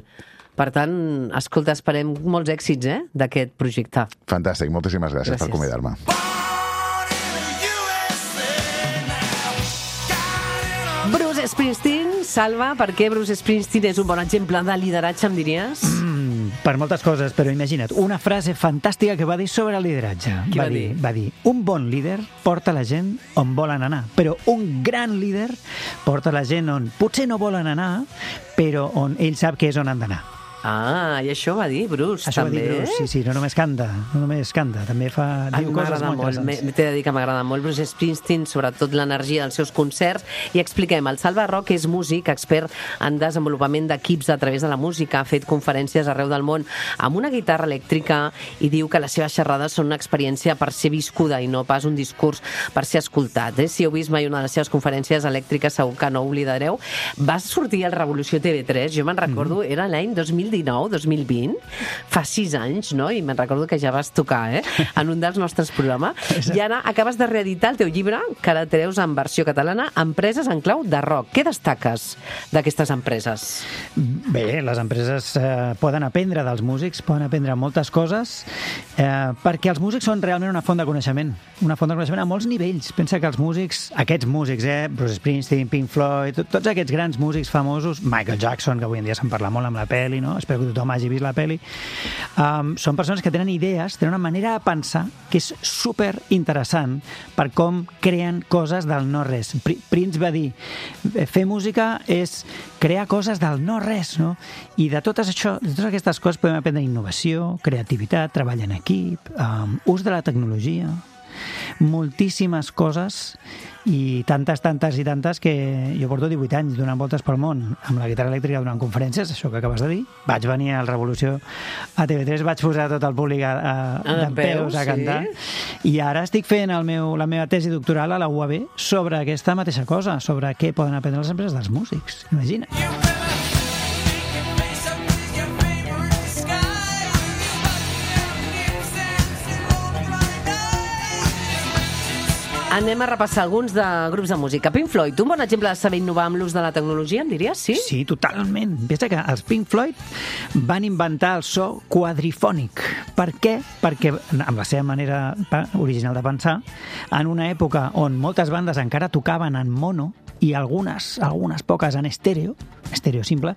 Per tant, escolta, esperem molts èxits eh, d'aquest projecte. Fantàstic, moltíssimes gràcies, Gràcies. per convidar-me. Bruce Springsteen, Salva, per què Bruce Springsteen és un bon exemple de lideratge, em diries? Mm, per moltes coses, però imagina't, una frase fantàstica que va dir sobre el lideratge. Què va va, dir? dir? va dir, un bon líder porta la gent on volen anar, però un gran líder porta la gent on potser no volen anar, però on ell sap que és on han d'anar. Ah, i això va dir Bruce, Això també? va dir Bruce, sí, sí, no només canta, no només canta, també fa, A diu mi coses m'agrada molt molt, interessants. m'he- t'he de dir que m'agrada molt Bruce Springsteen, sobretot l'energia dels seus concerts. I expliquem, el Salva Roc és músic, expert en desenvolupament d'equips a través de la música, ha fet conferències arreu del món amb una guitarra elèctrica i diu que les seves xerrades són una experiència per ser viscuda i no pas un discurs per ser escoltat. Eh? Si heu vist mai una de les seves conferències elèctriques, segur que no oblidareu. Va sortir al Revolució T V tres, jo me'n recordo, Mm-hmm. era l'any dos mil dinou, dos mil vint, fa sis anys, no? I me'n recordo que ja vas tocar, eh? En un dels nostres programes. I ara acabes de reeditar el teu llibre, que ara treus en versió catalana, Empreses en clau de rock. Què destaques d'aquestes empreses? Bé, les empreses eh, poden aprendre dels músics, poden aprendre moltes coses, eh, perquè els músics són realment una font de coneixement, una font de coneixement a molts nivells. Pensa que els músics, aquests músics, eh, Bruce Springsteen, Pink Floyd, tot, tots aquests grans músics famosos, Michael Jackson, que avui en dia se'n parla molt amb la pel·li, no? espero que tothom hagi vist la pel·li, um, són persones que tenen idees, tenen una manera de pensar que és super interessant per com creen coses del no-res. Prince va dir, fer música és crear coses del no-res, no? I de totes, això, de totes aquestes coses podem aprendre innovació, creativitat, treball en equip, um, ús de la tecnologia, moltíssimes coses i tantes, tantes i tantes que jo porto divuit anys donant voltes pel món amb la guitarra elèctrica donant conferències, això que acabes de dir. Vaig venir al Revolució a T V tres, vaig posar tot el públic a, a, a dempeus a cantar, sí? I ara estic fent el meu, la meva tesi doctoral a la U A B sobre aquesta mateixa cosa, sobre què poden aprendre les empreses dels músics. Imagina't. Anem a repassar alguns de grups de música. Pink Floyd, un bon exemple de saber innovar amb l'ús de la tecnologia, em diries, sí? Sí, totalment. Pensa que els Pink Floyd van inventar el so quadrifònic. Per què? Perquè, amb la seva manera original de pensar, en una època on moltes bandes encara tocaven en mono i algunes, algunes poques en estèreo, estèreo simple,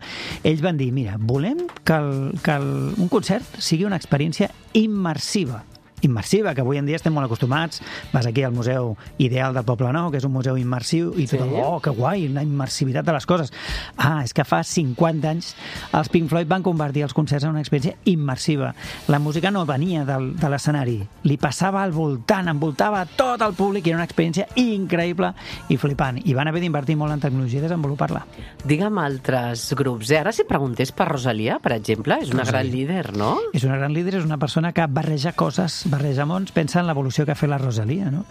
ells van dir, mira, volem que, el, que el, un concert sigui una experiència immersiva. immersiva, que avui en dia estem molt acostumats. Vas aquí al Museu Ideal del Poble Nou, que és un museu immersiu, i tothom, sí. oh, que guai, la immersivitat de les coses. Ah, és que fa cinquanta anys els Pink Floyd van convertir els concerts en una experiència immersiva. La música no venia del, de l'escenari, li passava al voltant, envoltava tot el públic, i era una experiència increïble i flipant. I van haver d'invertir molt en tecnologia i desenvolupar-la. Digue'm altres grups. Eh? Ara, si preguntés per Rosalia, per exemple, és una Rosalia. gran líder, no? És una gran líder, és una persona que barreja coses, barreja mons, pensa en l'evolució que ha fet la Rosalia, no?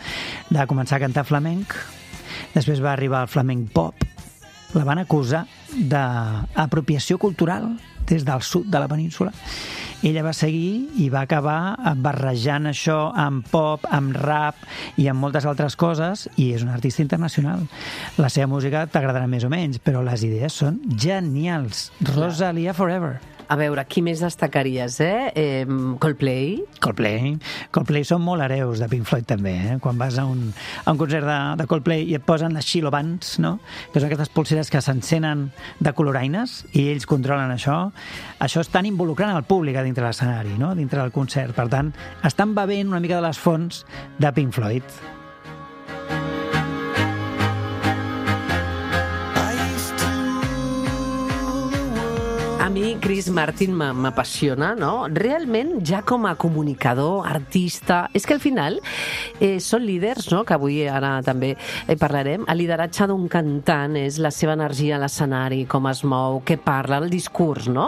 De començar a cantar flamenc, després va arribar al flamenc pop, la van acusar d'apropiació cultural des del sud de la península. Ella va seguir i va acabar barrejant això amb pop, amb rap i amb moltes altres coses, i és una artista internacional. La seva música t'agradarà més o menys, però les idees són genials. Rosalia Forever. A veure, qui més destacaries, eh? eh Coldplay? Coldplay. Coldplay són molt hereus de Pink Floyd, també, eh? Quan vas a un, a un concert de, de Coldplay i et posen les Shiloh Bands, no? Que són aquestes pulseres que s'encenen de coloraines i ells controlen això. Això estan involucrant el públic a dintre l'escenari, no? Dintre del concert. Per tant, estan bevent una mica de les fonts de Pink Floyd. A mi Chris Martin m'apassiona, no? Realment, ja com a comunicador, artista... És que al final eh, són líders, no? Que avui ara també eh, parlarem. El lideratge d'un cantant és la seva energia a l'escenari, com es mou, què parla, el discurs, no?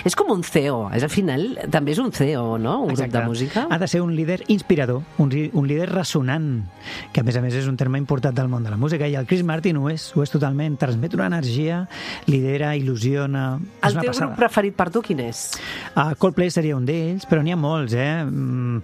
És com un C E O. És, al final, també és un C E O, no? Un Exacte. grup de música. Ha de ser un líder inspirador, un, un líder ressonant, que a més a més és un terme important del món de la música, i el Chris Martin ho és, ho és totalment. Transmet una energia, lidera, il·lusiona... El teu grup preferit per tu quin és? Uh, Coldplay seria un d'ells, però n'hi ha molts, eh? Mm,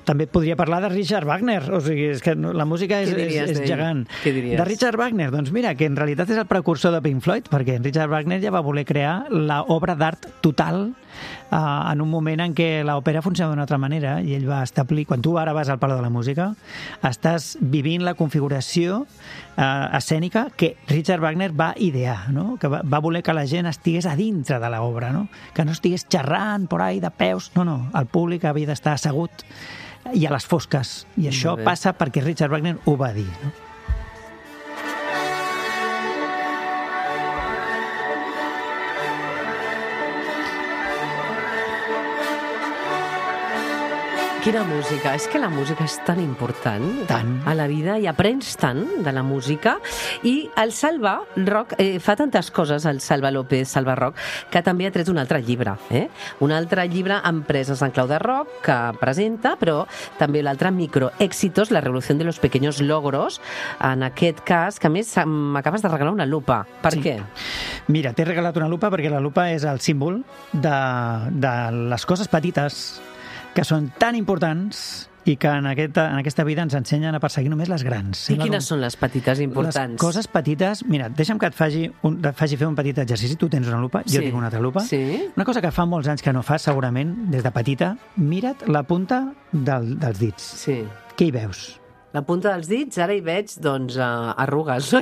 també podria parlar de Richard Wagner, o sigui, és que la música és, és, és gegant. Què diries? De Richard Wagner, doncs mira, que en realitat és el precursor de Pink Floyd, perquè Richard Wagner ja va voler crear l'obra d'art total uh, en un moment en què l'òpera funcionava d'una altra manera, i ell va establir, quan tu ara vas al Palau de la Música, estàs vivint la configuració uh, escènica que Richard Wagner va idear, no? Que va, va voler que la gent estigués a dintre de l'obra, no? Que no estigués xerrant por ahí de peus, no, no, el públic havia d'estar assegut i a les fosques, i això passa perquè Richard Wagner ho va dir, no? Quina música. És que la música és tan important tant. a la vida, i aprens tant de la música. I el Salva Rock eh, fa tantes coses, el Salva López, Salva Rock, que també ha tret un altre llibre. Eh? Un altre llibre, Empreses en clau de rock, que presenta, però també l'altre, Microéxitos, la revolució de los pequeños logros. En aquest cas, que a més m'acabes de regalar una lupa. Per sí. què? Mira, t'he regalat una lupa perquè la lupa és el símbol de, de les coses petites que són tan importants i que en aquesta, en aquesta vida ens ensenyen a perseguir només les grans. I quines són les petites importants? Les coses petites... Mira, deixa'm que et faci, un, et faci fer un petit exercici. Tu tens una lupa, jo sí. tinc una altra lupa. Sí. Una cosa que fa molts anys que no fas, segurament, des de petita, mira't la punta del, dels dits. Sí. Què hi veus? La punta dels dits, ara hi veig, doncs, uh, arrugues.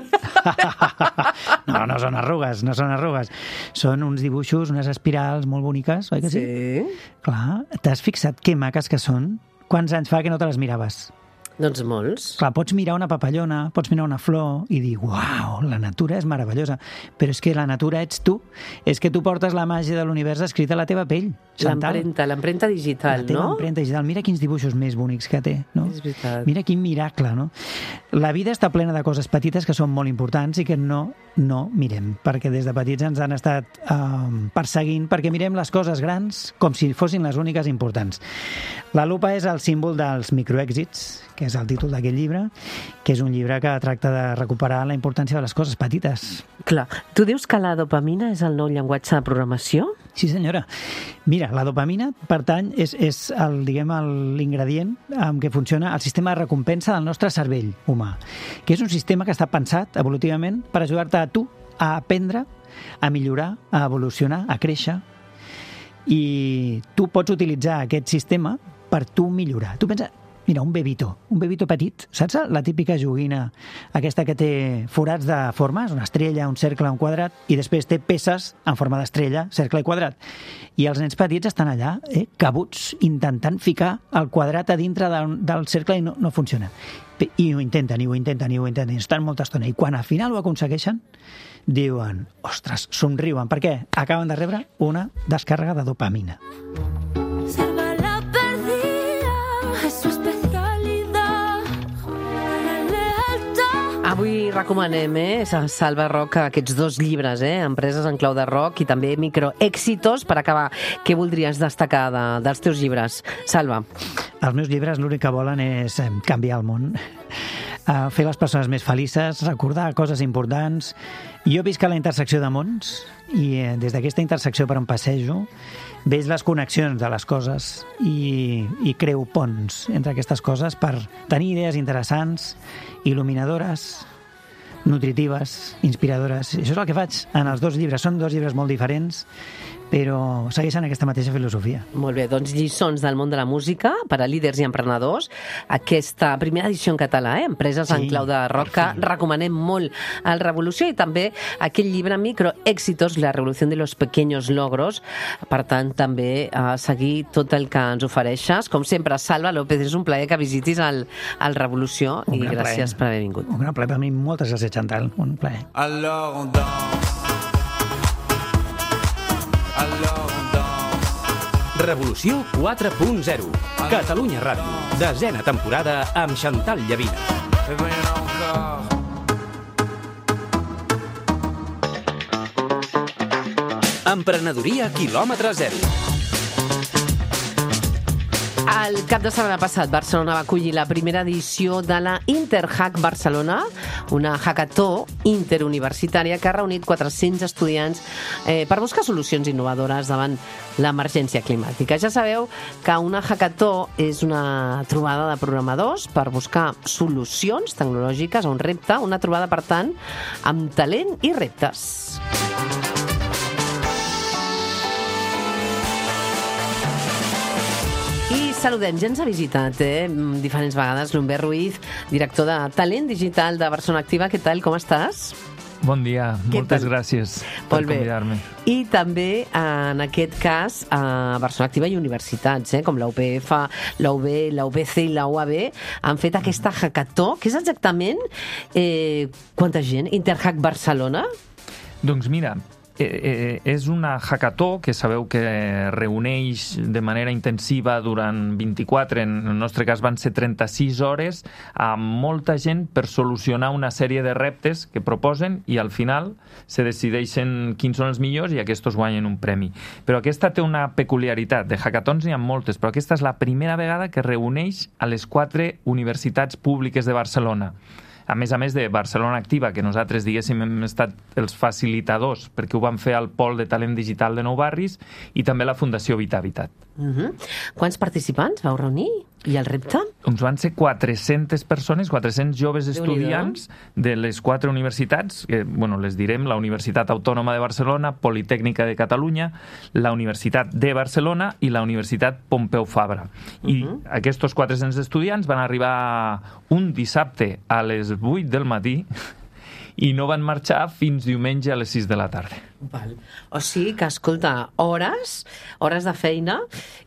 No, no són arrugues, no són arrugues. Són uns dibuixos, unes espirals molt boniques, oi que sí? Sí. Clar, t'has fixat que maques que són? Quants anys fa que no te les miraves? Doncs molts. Clar, pots mirar una papallona, pots mirar una flor i dir, uau, la natura és meravellosa. Però és que la natura ets tu. És que tu portes la màgia de l'univers escrita a la teva pell, Chantal. L'empremta, l'empremta digital, la teva no? empremta digital. Mira quins dibuixos més bonics que té, no? És veritat. Mira quin miracle, no? La vida està plena de coses petites que són molt importants i que no, no mirem, perquè des de petits ens han estat eh, perseguint perquè mirem les coses grans com si fossin les úniques importants. La lupa és el símbol dels microèxits, que és el títol d'aquest llibre, que és un llibre que tracta de recuperar la importància de les coses petites. Clar, tu dius que la dopamina és el nou llenguatge de programació? Sí, senyora. Mira, la dopamina pertany, és, és el, diguem, l'ingredient amb què funciona el sistema de recompensa del nostre cervell humà, que és un sistema que està pensat evolutivament per ajudar-te a tu a aprendre, a millorar, a evolucionar, a créixer. I tu pots utilitzar aquest sistema per tu millorar. Tu pensa, mira, un bebito, un bebito petit, saps la típica joguina, aquesta que té forats de formes, una estrella, un cercle, un quadrat, i després té peces en forma d'estrella, cercle i quadrat. I els nens petits estan allà, eh, cabuts, intentant ficar el quadrat a dintre de, del cercle i no, no funciona. I ho intenten, i ho intenten, i ho intenten, i estan molta estona. I quan al final ho aconsegueixen, diuen, ostres, somriuen, perquè acaben de rebre una descàrrega de dopamina. Avui recomanem, eh, Salva Roca, aquests dos llibres, eh, Empreses en clau de rock i també Microèxitos. Per acabar, què voldries destacar de, dels teus llibres, Salva? Els meus llibres l'únic que volen és canviar el món, fer les persones més felices, recordar coses importants. Jo visc a la intersecció de mons i des d'aquesta intersecció per on passejo veig les connexions de les coses i, i creo ponts entre aquestes coses per tenir idees interessants, il·luminadores, nutritives, inspiradores. I això és el que faig en els dos llibres. Són dos llibres molt diferents, però segueixen aquesta mateixa filosofia. Molt bé, doncs lliçons del món de la música per a líders i emprenedors. Aquesta primera edició en català, eh? Empreses sí, en clau de rock, que recomanem molt al Revolució, i també aquell llibre Microèxitos, la revolució de los pequeños logros. Per tant, també a seguir tot el que ens ofereixes. Com sempre, Salva López, és un plaer que visitis el, el Revolució i gràcies plaer. per haver vingut. Un gran plaer per mi. Moltes gràcies, Chantal. Un plaer. Alors on danse. Revolució quatre punt zero. Catalunya Ràdio. Desena temporada amb Chantal Llavina. Emprenedoria quilòmetre zero. El cap de setmana passat, Barcelona va acollir la primera edició de la Interhack Barcelona, una hackathó interuniversitària que ha reunit quatre-cents estudiants eh, per buscar solucions innovadores davant l'emergència climàtica. Ja sabeu que una hackathó és una trobada de programadors per buscar solucions tecnològiques a un repte, una trobada, per tant, amb talent i reptes. Saludem, ja ens ha visitat eh, diferents vegades l'Humbert Ruiz, director de Talent Digital de Barcelona Activa. Què tal, com estàs? Bon dia, Què moltes tal? gràcies per convidar-me. I també, en aquest cas, a Barcelona Activa i universitats, eh, com la U P F, la U B, la U B C i la U A B, han fet aquesta hackathó. Què és exactament? Eh, quanta gent? Interhack Barcelona? Doncs mira, Eh, és una hackathó que sabeu que reuneix de manera intensiva durant vint-i-quatre, en el nostre cas van ser trenta-sis hores, amb molta gent per solucionar una sèrie de reptes que proposen i al final se decideixen quins són els millors i aquests guanyen un premi. Però aquesta té una peculiaritat. De hackathons n'hi ha moltes, però aquesta és la primera vegada que reuneix a les quatre universitats públiques de Barcelona. A més a més de Barcelona Activa, que nosaltres, diguéssim, hem estat els facilitadors, perquè ho vam fer al Pol de Talent Digital de Nou Barris, i també la Fundació Vita Habitat. Uh-huh. Quants participants vau reunir? I el repte? Doncs van ser quatre-centes persones, quatre-cents joves estudiants de les quatre universitats, que, bueno, les direm, la Universitat Autònoma de Barcelona, Politècnica de Catalunya, la Universitat de Barcelona i la Universitat Pompeu Fabra. I uh-huh. aquests quatre-cents estudiants van arribar un dissabte a les vuit del matí i no van marxar fins diumenge a les sis de la tarda. Val. O sigui que, escolta, hores, hores de feina,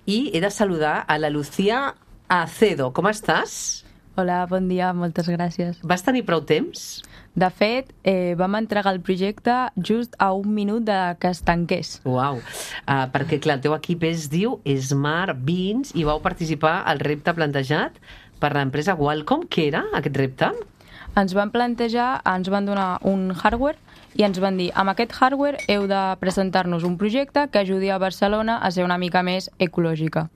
i he de saludar a la Lucía Acedo. Com estàs? Hola, bon dia, moltes gràcies. Vas tenir prou temps? De fet, eh, vam entregar el projecte just a un minut de que es tanqués. Uau, uh, perquè clar, el teu equip es diu Smart Beans i vau participar al repte plantejat per l'empresa Qualcomm. Què era aquest repte? Ens van plantejar, ens van donar un hardware i ens van dir, amb aquest hardware heu de presentar-nos un projecte que ajudi a Barcelona a ser una mica més ecològica.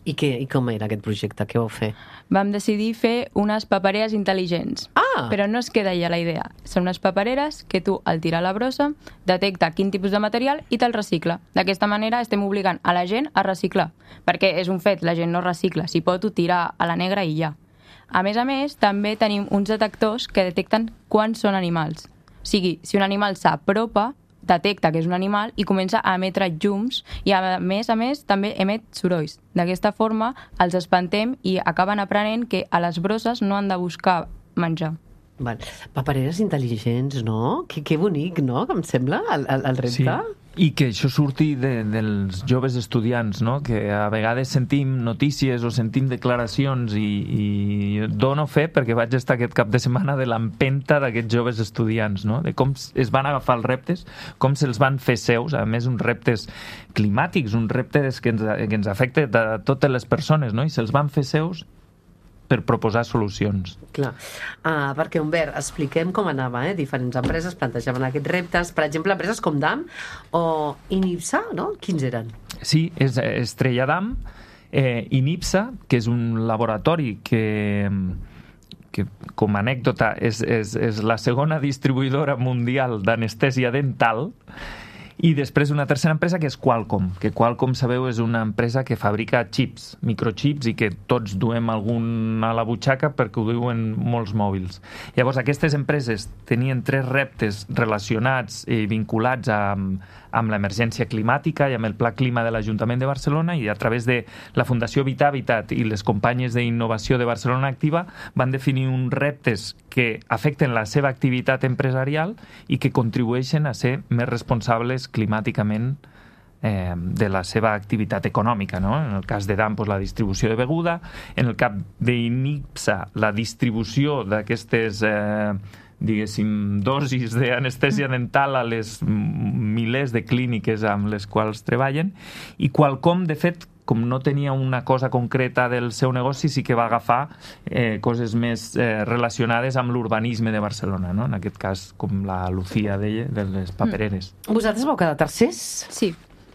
I, què, I com era aquest projecte? Què vau fer? Vam decidir fer unes papereres intel·ligents. Ah! Però no es queda allà la idea. Són unes papereres que tu, al tirar la brossa, detecta quin tipus de material i te'l recicla. D'aquesta manera estem obligant a la gent a reciclar. Perquè és un fet, la gent no recicla. Si pot, ho tira a la negra i ja. A més a més, també tenim uns detectors que detecten quan són animals. O sigui, si un animal s'apropa, detecta que és un animal i comença a emetre llums i, a més a més, també emet sorolls. D'aquesta forma, els espantem i acaben aprenent que a les brosses no han de buscar menjar. Val. Papereres intel·ligents, no? Que, que bonic, no?, que em sembla, el, el, el repte. Sí. I que això surti de, dels joves estudiants, no? Que a vegades sentim notícies o sentim declaracions i, i dono fe perquè vaig estar aquest cap de setmana de l'empenta d'aquests joves estudiants, no? De com es van agafar els reptes, com se'ls van fer seus, a més uns reptes climàtics, uns reptes que ens, que ens afecten a totes les persones, no? I se'ls van fer seus per proposar solucions. Clar, uh, perquè, Humbert, expliquem com anava, eh? Diferents empreses plantejaven aquests reptes, per exemple, empreses com D A M o Inipsa, no? Quins eren? Sí, és Estrella D A M, eh, Inipsa, que és un laboratori que, que com a anècdota, és, és, és la segona distribuïdora mundial d'anestèsia dental. I després una tercera empresa que és Qualcomm, que Qualcomm, sabeu, és una empresa que fabrica xips, microchips, i que tots duem algun a la butxaca perquè ho diuen molts mòbils. Llavors, aquestes empreses tenien tres reptes relacionats i vinculats amb, amb l'emergència climàtica i amb el Pla Clima de l'Ajuntament de Barcelona, i a través de la Fundació Vitavitat i les companyes d'innovació de Barcelona Activa van definir uns reptes que afecten la seva activitat empresarial i que contribueixen a ser més responsables climàticament eh, de la seva activitat econòmica, no? En el cas de D A M, doncs, la distribució de beguda, en el cas d'Inipsa, la distribució d'aquestes eh, diguéssim, dosis d'anestèsia dental a les milers de clíniques amb les quals treballen, i Qualcomm, de fet, com no tenia una cosa concreta del seu negoci, sí que va agafar eh, coses més eh, relacionades amb l'urbanisme de Barcelona, no? En aquest cas, com la Lucía deia, de les papereres. Mm. Vosaltres vau quedar tercers? Sí,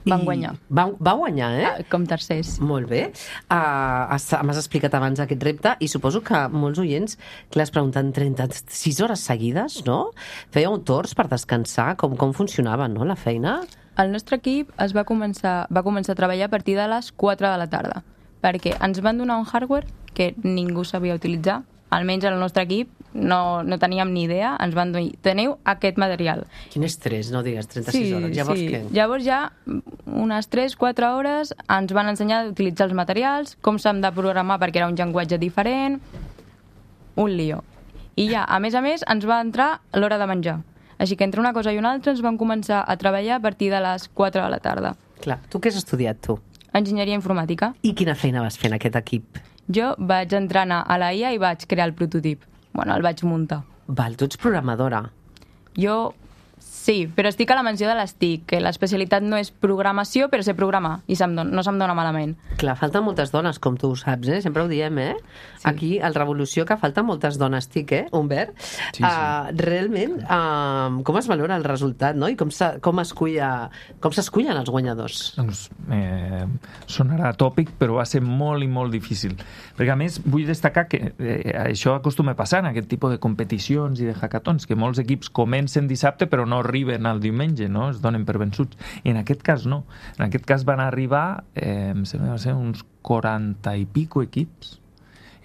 van guanyar. Va, va guanyar, eh? Ah, com tercers. Molt bé. Uh, M'has explicat abans aquest repte i suposo que molts oients que les pregunten trenta-sis hores seguides, no? Fèieu torns per descansar? Com, com funcionava, no, la feina? El nostre equip es va començar, va començar a treballar a partir de les quatre de la tarda, perquè ens van donar un hardware que ningú sabia utilitzar, almenys el nostre equip no, no teníem ni idea, ens van dir, teniu aquest material. Quin estrès, no digues, trenta-sis hores. Llavors sí. què? Llavors ja unes tres quatre hores ens van ensenyar a utilitzar els materials, com s'han de programar perquè era un llenguatge diferent, un lío. I ja, a més a més, ens va entrar l'hora de menjar. Així que entre una cosa i una altra ens vam començar a treballar a partir de les quatre de la tarda. Clar, tu què has estudiat, tu? Enginyeria informàtica. I quina feina vas fer en aquest equip? Jo vaig entrenar a la I A i vaig crear el prototip. Bueno, el vaig muntar. Val, tu ets programadora. Jo sí, però estic a la menció de les T I C, que l'especialitat no és programació, però sé programar, i se'm don, no se'm dona malament. Clar, falten moltes dones, com tu ho saps, eh? Sempre ho diem, eh? Sí. Aquí, al Revolució, que falten moltes dones T I C, eh, Humbert? Sí, sí. Uh, realment, uh, com es valora el resultat, no? I com, com s'escullen els guanyadors? Doncs eh, sonarà tòpic, però va ser molt i molt difícil. Perquè, a més, vull destacar que eh, això acostuma a passar en aquest tipus de competicions i de hackathons, que molts equips comencen dissabte, però no arriben al diumenge, no? Es donen per vençuts. I en aquest cas no. En aquest cas van arribar, eh, em sembla que va ser uns quaranta i pico equips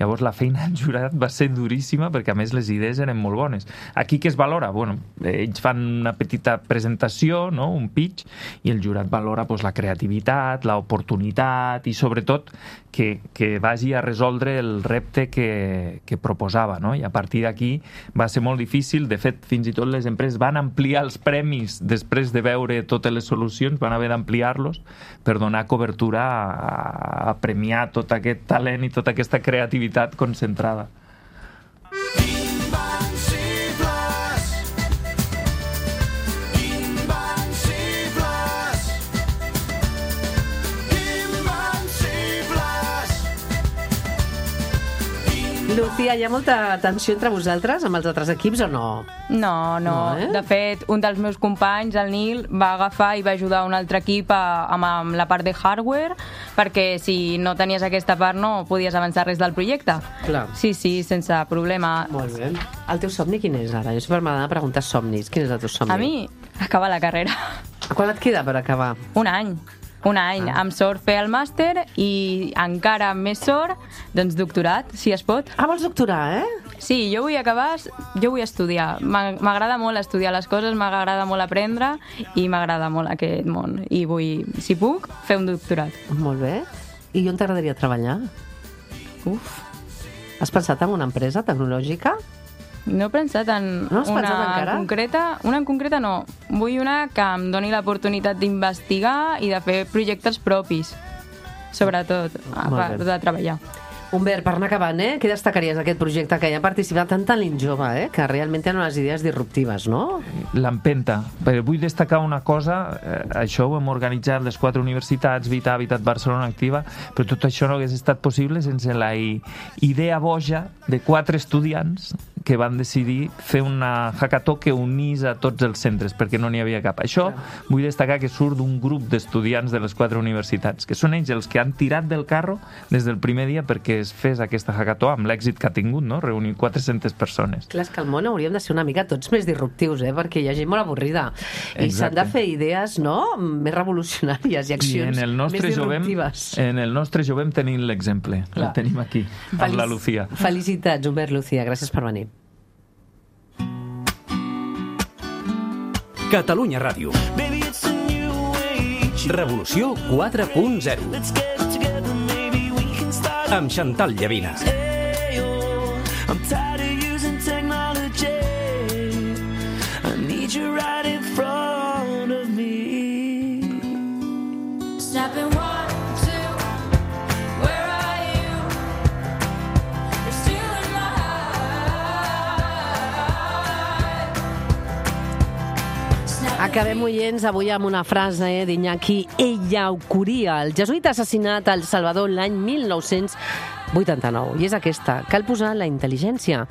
Llavors la feina del jurat va ser duríssima perquè a més les idees eren molt bones. Aquí què es valora? Bueno, ells fan una petita presentació, no? Un pitch, i el jurat valora pues, la creativitat, l'oportunitat i sobretot que, que vagi a resoldre el repte que, que proposava, no? I a partir d'aquí va ser molt difícil. De fet, fins i tot les empreses van ampliar els premis després de veure totes les solucions, van haver d'ampliar-los per donar cobertura a, a premiar tot aquest talent i tota aquesta creativitat concentrada. Lucía, hi ha molta tensió entre vosaltres amb els altres equips o no? No, no. No, eh? De fet, un dels meus companys, el Nil, va agafar i va ajudar un altre equip a, amb, amb la part de hardware, perquè si no tenies aquesta part no podies avançar res del projecte. Clar. Sí, sí, sense problema. Molt bé. El teu somni quin és ara? Jo sempre m'agrada preguntar somnis. Quin és el teu somni? A mi, acabar la carrera. Quan et queda per acabar? Un any. Un any. Ah. Amb sort fer el màster i encara amb més sort, doncs doctorat, si es pot. Ah, vols doctorar, eh? Sí, jo vull acabar, jo vull estudiar. M'a- M'agrada molt estudiar les coses, m'agrada molt aprendre i m'agrada molt aquest món. I vull, si puc, fer un doctorat. Molt bé. I on t'agradaria treballar? Uf, Has pensat en una empresa tecnològica? no he pensat en No has una pensat encara? en concreta. Una en concreta no. Vull una que em doni l'oportunitat d'investigar i de fer projectes propis, sobretot, a Molt part bé. de treballar. Humbert, per anar acabant, eh? Què destacaries d'aquest projecte que hi ha participat tant talent jove, eh? Que realment tenen unes idees disruptives, no? L'empenta. Però vull destacar una cosa, eh, això ho hem organitzat les quatre universitats, Vita, Habitat, Barcelona Activa, però tot això no hagués estat possible sense la i- idea boja de quatre estudiants que van decidir fer una hackathon que unís a tots els centres, perquè no n'hi havia cap. Això vull destacar que surt d'un grup d'estudiants de les quatre universitats, que són ells els que han tirat del carro des del primer dia perquè es fes aquesta hackathon amb l'èxit que ha tingut, no? Reunir quatre-centes persones. Clar, és que al món hauríem de ser una mica tots més disruptius, eh? Perquè hi ha gent molt avorrida. I s'han de Exacte. fer idees, no?, més revolucionàries i I accions en el més nostre jovem, disruptives. en el nostre jovem tenim l'exemple. Clar. El tenim aquí, amb Feliç- la Lucía. Felicitats, Humbert, Lucía. Gràcies per venir. Catalunya Ràdio. Revolució quatre punt zero. Amb Chantal Llavina. I'm tired of using technology. I need you right in front of me. Snapping one, two, where are you? You're still in my heart. Snapping Acabem, oients, avui amb una frase d'Iñaki Ellacuría, el jesuïta assassinat al Salvador l'any mil nou-cents vuitanta-nou. I és aquesta: cal posar la intel·ligència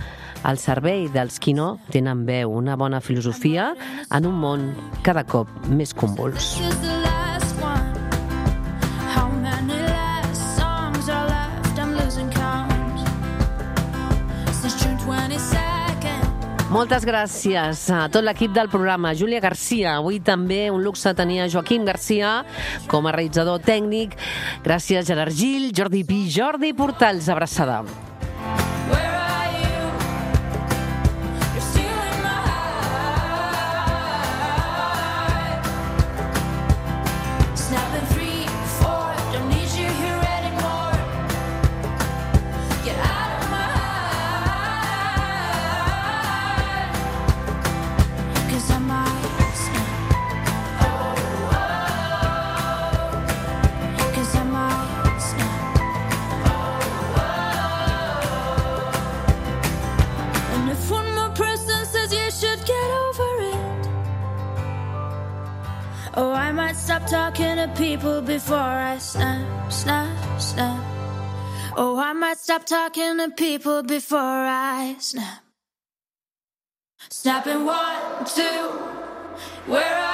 al servei dels qui no tenen veu, una bona filosofia en un món cada cop més convuls. This is the last one. How many last songs are left? I'm losing count. Since June twenty-second. Moltes gràcies a tot l'equip del programa. Júlia Garcia, avui també un luxe tenir a Joaquim Garcia com a realitzador tècnic. Gràcies, Gerard Gil, Jordi Pi, Jordi Portals. Abraçada. Where are you? You're still in my heart. Snapping three, four, don't need you here anymore. Get out of my heart. 'Cause I might snap. Oh, oh. 'Cause I might snap. And if one more person says you should get over it, oh, I might stop talking to people before I snap, snap, snap. Oh, I might stop talking to people before I snap. Snapping one, two, where are